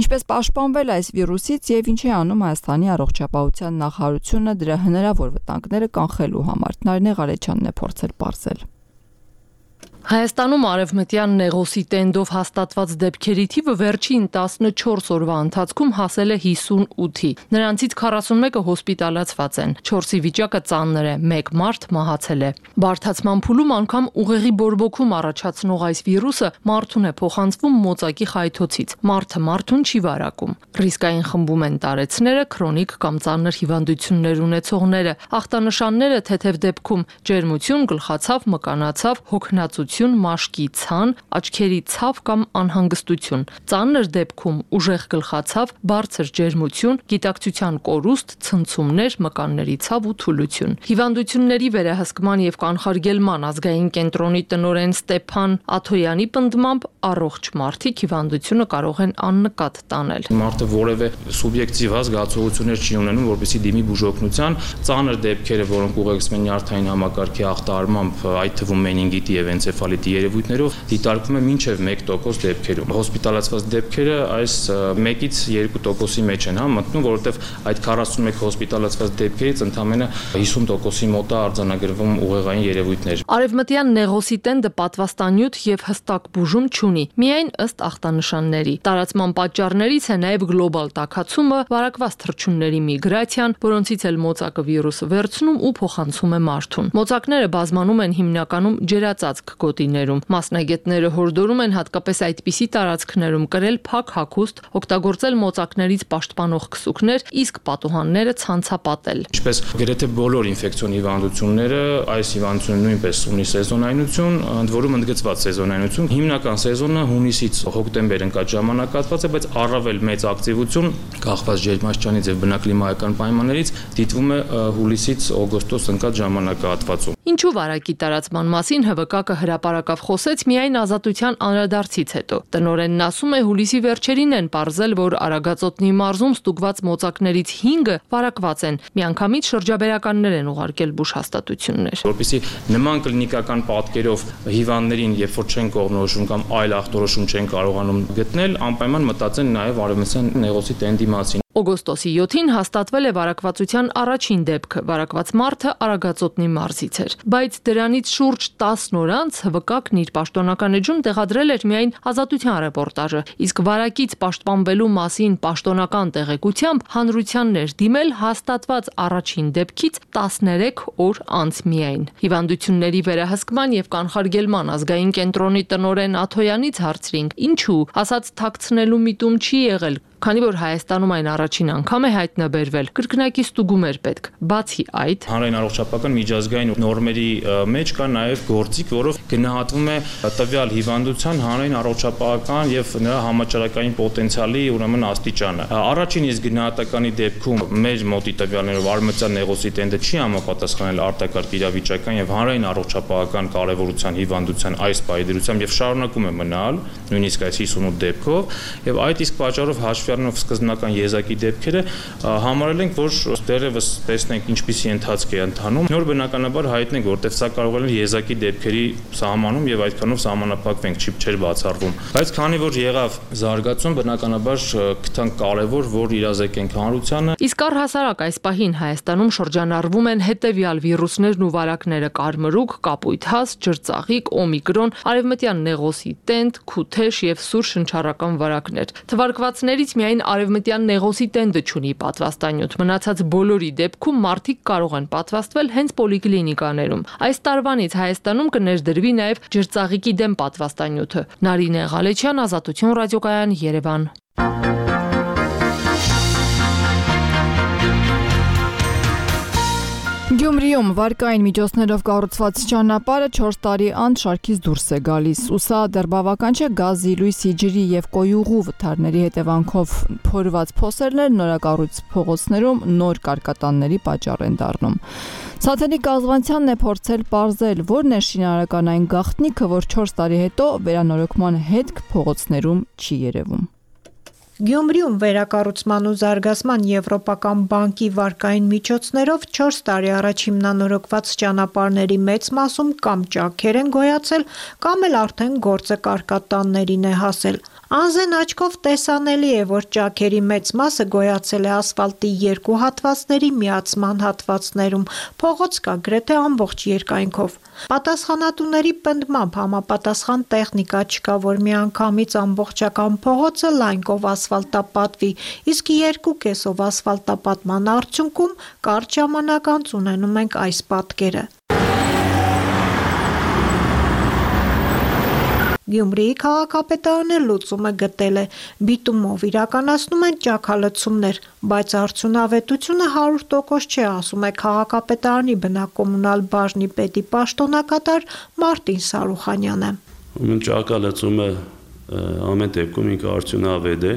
Ինչպես պաշտպանվել այս վիրուսից եւ ինչ է անում Հայաստանի առողջապահության նախարարությունը դրա հնարավոր վտանգները կանխելու համար։ Նարինե Ղարեչյանն է փորձել պարզել։ Հայաստանում արևմտյան նեղոսի տենդով հաստատված դեպքերի թիվը վերջին 14 օրվա ընթացքում հասել է 58-ի։ Նրանցից 41-ը հոսպիտալացված են, 4-ի վիճակը ծանր է, 1 մարդ մահացել է։ Բարդացման փուլում անգամ ուղեղի բորբոքում առաջացնող այս վիրուսը մարդուն է փոխանցվում մոծակի խայթոցից։ Մարդը մարդուն չի վարակում։ Ռիսկային խմբում են տարեցները, քրոնիկ կամ ծանր հիվանդություններ ունեցողները, ախտանշանները թեթև դեպքում ջերմություն, գլխացավ, մկանացավ, հոգնածություն, մաշկի ցան, աչքերի ցավ կամ անհանգստություն, ծանր դեպքում ուժեղ գլխացավ, բարձր ջերմություն, գիտակցության կորուստ, ցնցումներ, մկանների ցավ ու թուլություն։ Հիվանդությունների վերահսկման եւ կանխարգելման ազգային կենտրոնի տնօրեն Ստեփան Աթոյանի պնդմամբ առողջ մարդիկ հիվանդությունը կարող են աննկատ տանել։ Մարդը որևէ սուբյեկտիվ զգացողություններ չի ունենում, որպեսզի դիմի բուժօգնության, ծանր դեպքերը, որոնք ուղեկցվում են նյարդային համակարգի ախտահարմամբ, այդ թվում մենինգիտի եւ էնցեֆալիտի երևույթներով, դիտարկվում է մինչև 1% դեպքերում։ Հոսպիտալացված դեպքերը այս 1-ից 2%-ի մեջ են մտնում, որովհետեւ այդ 41 հոսպիտալացված դեպքերից ընդամենը 50%-ի մոտ է արձանագրվում ուղեղային երևույթներ։ Արևմտյան նեղոսի տենդը պատվաստանյութ եւ հստակ բուժում չունի, միայն ըստ ախտանշանների։ Տարածման պատճառներից է նաեւ գլոբալ տաքացումը, վարակված թռչունների միգրացիան, որոնցից էլ մոծակը վիրուսը վերցնում ու փոխանցում է մարդուն։ Մոծակները բազմանում են հիմնականում ջերածածկ գոտիներում։ Մասնագետները հորդորում են հատկապես այդպիսի տարածքներում կրել փակ հագուստ, օգտագործել մոծակներից պաշտպանող քսուկներ, իսկ պատուհանները ցանցապատել։ Ինչպես գրեթե բոլոր ինֆեկցիոն հիվանդությունները, այս հիվանդությունը նույնպես ունի սեզոնայնություն, ընդ որում ընդգծված սեզոնայնություն։ Հիմնական սեզոնը հունիսից հոկտեմբեր ընկած ժամանակահատված է, բայց առավել մեծ ակտիվություն կախված ջերմաստիճանից եւ բնակլիմայական պայմաններից դիտվում է հուլիսից օգոստոս ընկած ժամանակահատվածում։ Ինչու վարակի տարածման մասին ՀՎԿ-ը հրապարակավ խոսեց միայն ազատության անդրադարձից հետո։ Տնօրենն ասում է, հուլիսի վերջերին են պարզել, որ Արագածոտնի մարզում ստուգված մոծակներից 5-ը վարակված են։ Միանգամից շրջաբերականներ են ուղարկել բուժհաստատություններ։ Որպեսզի նման կլինիկական պատկերով հիվանդներին, երբ որ չեն կողմնորոշում կամ այլ ախտորոշում չեն կարողանում գտնել, անպայման մտածեն նաև արևմտյան նեղոսի տենդի մասին։ Օգոստոսի 7-ին հաստատվել է վարակվածության առաջին դեպքը։ Վարակված մարդը Արագածոտնի մարզից էր, բայց դրանից շուրջ 10 օր անց ՀՎԿ-ն իր պաշտոնական էջում տեղադրել էր միայն ազատության ռեպորտաժը, իսկ վարակից պաշտպանվելու մասին պաշտոնական տեղեկությամբ հանրությանն էր դիմել հաստատված առաջին դեպքից 13 օր անց միայն։ Հիվանդությունների վերահսկման եւ կանխարգելման ազգային կենտրոնի տնօրեն Աթոյանից հարցրինք, ինչու, ասաց թաքցնելու միտում չի եղել, Քանի որ Հայաստանում այն առաջին անգամ է հայտնաբերվել, կրկնակի ստուգում էր պետք։ Բացի այդ, հանրային առողջապահական միջազգային նորմերի մեջ կա նաև գործիք, որով գնահատվում է տվյալ հիվանդության հանրային առողջապահական եւ նրա համաճարակային պոտենցիալի ուրեմն աստիճանը։ Առաջին իսկ գնահատականի դեպքում մեր մոտի տվյալներով արմատյան նեղոսի տենդը չի համապատասխանել արտակարգ իրավիճակային եւ հանրային առողջապահական կարեւորության հիվանդության այս պայդրությամբ եւ շարունակում է մնալ, նույնիսկ այս 58 դեպքով, եւ այդ իսկ պատճառով հաշվի առնելով սկզբնական եզակի դեպքերը համարել ենք, որ դեռևս տեսնենք ինչպիսի ընթացք է ընթանում, նոր բնականաբար հայտնենք, որտեղ սա կարող է եզակի դեպքերի սահմանում եւ այդքանով սահմանափակվենք, չէր բացառվում։ Բայց քանի որ եղավ զարգացում, բնականաբար գտանք կարևոր, որ իրազեկենք հանրությանը։ Իսկ առհասարակ այս պահին Հայաստանում շրջանառվում են հետևյալ վիրուսներն ու վարակները՝ կարմրուկ, կապույտ հաս, ջրծաղիկ, օմիկրոն, արևմտյան նեղոսի տենդ, քութեշ եւ սուր շնչառական վարակներ։ Թվարկվածներից միայն արևմտյան նեղոսի տենդը չունի պատվաստանյութ։ Մնացած բոլորի դեպքում մարդիկ կարող են պատվաստվել հենց պոլիկլինիկաներում։ Այս տարվանից Հայաստանում կներդրվի նաև ջրծաղիկի դեմ պատվաստանյութը։ Նարինե Ղալեչյան, Ազատություն ռադիոկայան, Երևան։ Գյումրիում վարկային միջոցներով կառուցված ճանապարհը 4 տարի անց շարքից դուրս է գալիս։ Ու սա դեռ բավական չէ գազի, լույսի, ջրի եւ կոյուղու վթարների հետևանքով փորված փոսերներ նորակառույց փողոցներում նոր կարկատանների պատճառ են դառնում։ Սաթենի կազվանցյանն է փորձել պարզել, որն է շինարարական այն գաղտնիքը, որ 4 տարի հետո վերանորոգման հետք փողոցներում չի երևում։ Գյումրիում վերակառուցման ու զարգացման Եվրոպական բանկի վարկային միջոցներով 4 տարի առաջ հիմնանորոգված ճանապարհների մեծ մասում կամ ճաքեր են գոյացել, կամ էլ արդեն գործը կարկատաններին է հասել։ Անզեն աչքով տեսանելի է, որ ճաքերի մեծ մասը գոյացել է ասֆալտի երկու հատվածների միացման հատվածներում, փողոց կա գրեթե ամբողջ երկայնքով։ Պատասխանատուների պնդմամբ համապատասխան տեխնիկա չկա, որ միանգամից ամբողջական փողոցը լայնքով ասֆալտապատվի, իսկ 2 կեսով ասֆալտապատման արդյունքում կարճ ժամանակ անց ունենում ենք այս պատկերը։ Գյումրիի քաղաքապետարանը լուծումը գտել է, բիտումով իրականացնում են ճաքալցումներ, բայց արդյունավետությունը 100% չէ, ասում է քաղաքապետարանի բնակոմունալ բաժնի պետի պաշտոնակատար Մարտին Սարուխանյանը։ Ճաքալցումը ամեն դեպքում ինքը արդյունավետ է,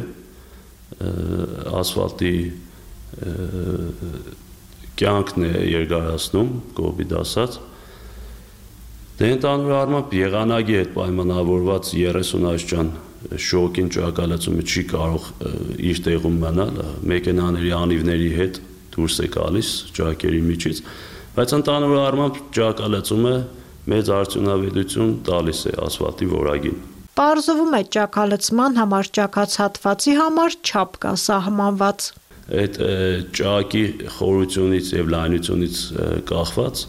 ասֆալտի կյանքն է երկարացնում, կոպիտ ասած։ Դե ընդհանուր առմամբ եղանակի հետ պայմանավորված 30 աստիճան շոկին ճակալացումը չի կարող իր տեղում մնալ, մեքենաների անիվների հետ դուրս է գալիս ճակերի միջից, բայց ընդհանուր առմամբ ճակալացումը մեծ արդյունավետություն տալիս է ասֆալտի որակին։ Պարզվում է ճակալցման համար ճակած հատվածի համար չափ կա սահմանված։ Այդ ճակի խորությունից եւ լայնությունից կախված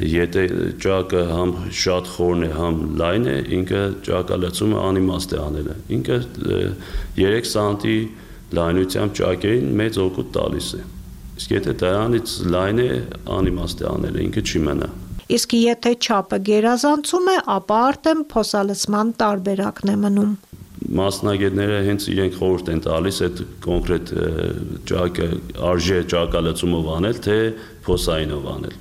Եթե ճակը համ շատ խորն է, համ լայն է, ինքը ճակալացումը անիմաստ է անելը։ Ինքը 3 սանտի լայնությամբ ճակերին մեծ օգուտ տալիս է։ Իսկ եթե դրանից լայն է, անիմաստ է անելը, ինքը չի մնա։ Իսկ եթե չափը գերազանցում է, ապա արդեն փոսալցման տարբերակն է մնում։ Մասնագետները հենց իրենք խորհուրդ են տալիս այդ կոնկրետ ճակը արժե ճակալացումով անել, թե փոսայինով անել։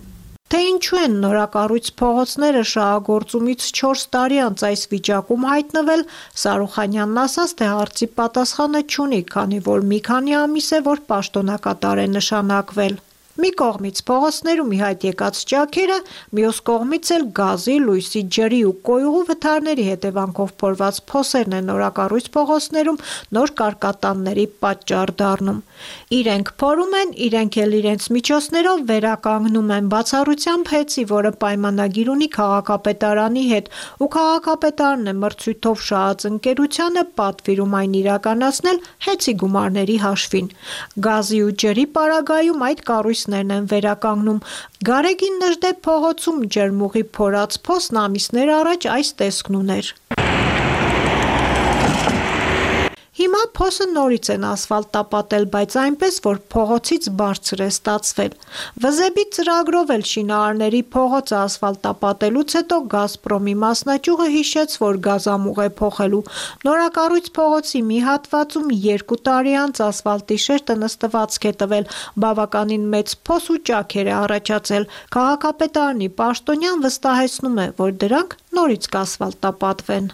Թե ինչու են նորակառույց փողոցները շահագործումից 4 տարի անց այս վիճակում հայտնվել, Սարուխանյանն ասաց, թե հարցի պատասխանը չունի, քանի որ մի քանի ամիս է, որ պաշտոնակատար է նշանակվել։ Մի կողմից փողոցներում ի հայտ եկած ճաքերը, մյուս կողմից էլ գազի, լույսի, ջրի ու կոյուղու վթարների հետևանքով փորված փոսերն են նորակառույց փողոցներում նոր կարկատանների պատճառ դառնում։ Իրենք փորում են, իրենք էլ իրենց միջոցներով վերականգնում են, բացառությամբ Հեցի, որը պայմանագիր ունի քաղաքապետարանի հետ, ու քաղաքապետարն է մրցույթով շահած ընկերությանը պատվիրում այն իրականացնել Հեցի գումարների հաշվին։ Գազի ու ջրի պարագայում այդ կառույցներն են վերականգնում։ Գարեգին Նժդե փողոցում ջերմուղի փորած փոսն ամիսներ առաջ այս տեսքն ուներ։ Հիմա փոսը նորից են ասֆալտապատել, բայց այնպես, որ փողոցից բարձր է ստացվել։ Վզեբի ծրագրով էլ շինարարների փողոցը ասֆալտապատելուց հետո Գազպրոմի մասնաճյուղը հիշեց, որ գազամուղ է փոխելու։ Նորակառույց փողոցի մի հատվածում 2 տարի անց ասֆալտի շերտը նստվածք է տվել, բավականին մեծ փոս ու ճաքեր է առաջացել։ Քաղաքապետարանի պաշտոնյան վստահեցնում է, որ դրանք նորից կասֆալտապատվեն։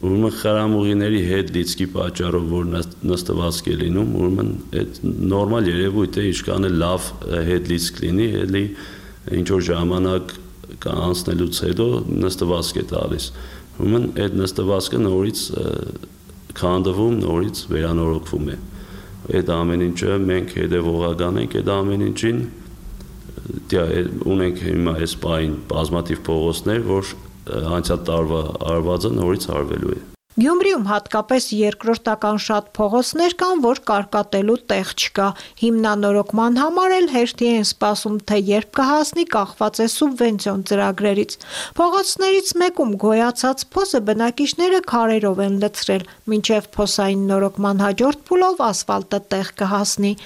Ուրեմն խրամուղիների հետ լիցքի պատճառով որ նստվածք է լինում, ուրեմն այդ նորմալ երևույթ է, ինչքան է լավ հետ լիցք լինի, էլի ինչ որ ժամանակ անցնելուց հետո նստվածք է տալիս։ Ուրեմն այդ նստվածքը նորից քանդվում, նորից վերանորոգվում է։ Այդ ամեն ինչը մենք հետևողական ենք այդ ամեն ինչին։ Ունենք հիմա այս պահին բազմաթիվ փողոցներ, որ անցյալ տարվա արվածը նորից արվելու է։ Գյումրիում հատկապես երկրորդական շատ փողոցներ կան, որ կարկատելու տեղ չկա։ Հիմնանորոգման համար էլ հերթի են սպասում, թե երբ կհասնի, կախված է սուբվենցիոն ծրագրերից։ Փողոցներից մեկում գոյացած փոսը բնակիչները քարերով են լցրել, մինչև փոսային նորոգման հաջորդ փուլով ասֆալտը տեղ կհասնի։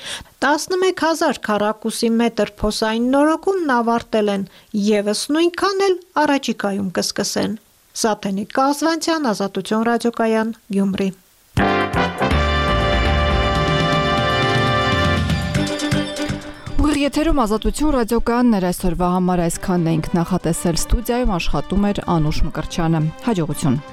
11,000 քառակուսի մետր փոսային նորոգումն ավարտել են, եւս նույնքան էլ առաջիկայում կսկսեն։ Սաթենիկ Կազվանցյան, Ազատություն ռադիոկայան, Գյումրի։ Ուղիղ եթերում Ազատություն ռադիոկայաններ այսօրվա համար այսքանն էինք նախատեսել, ստուդիայում աշխատում էր Անուշ Մկրտչյանը։ Հաջողություն։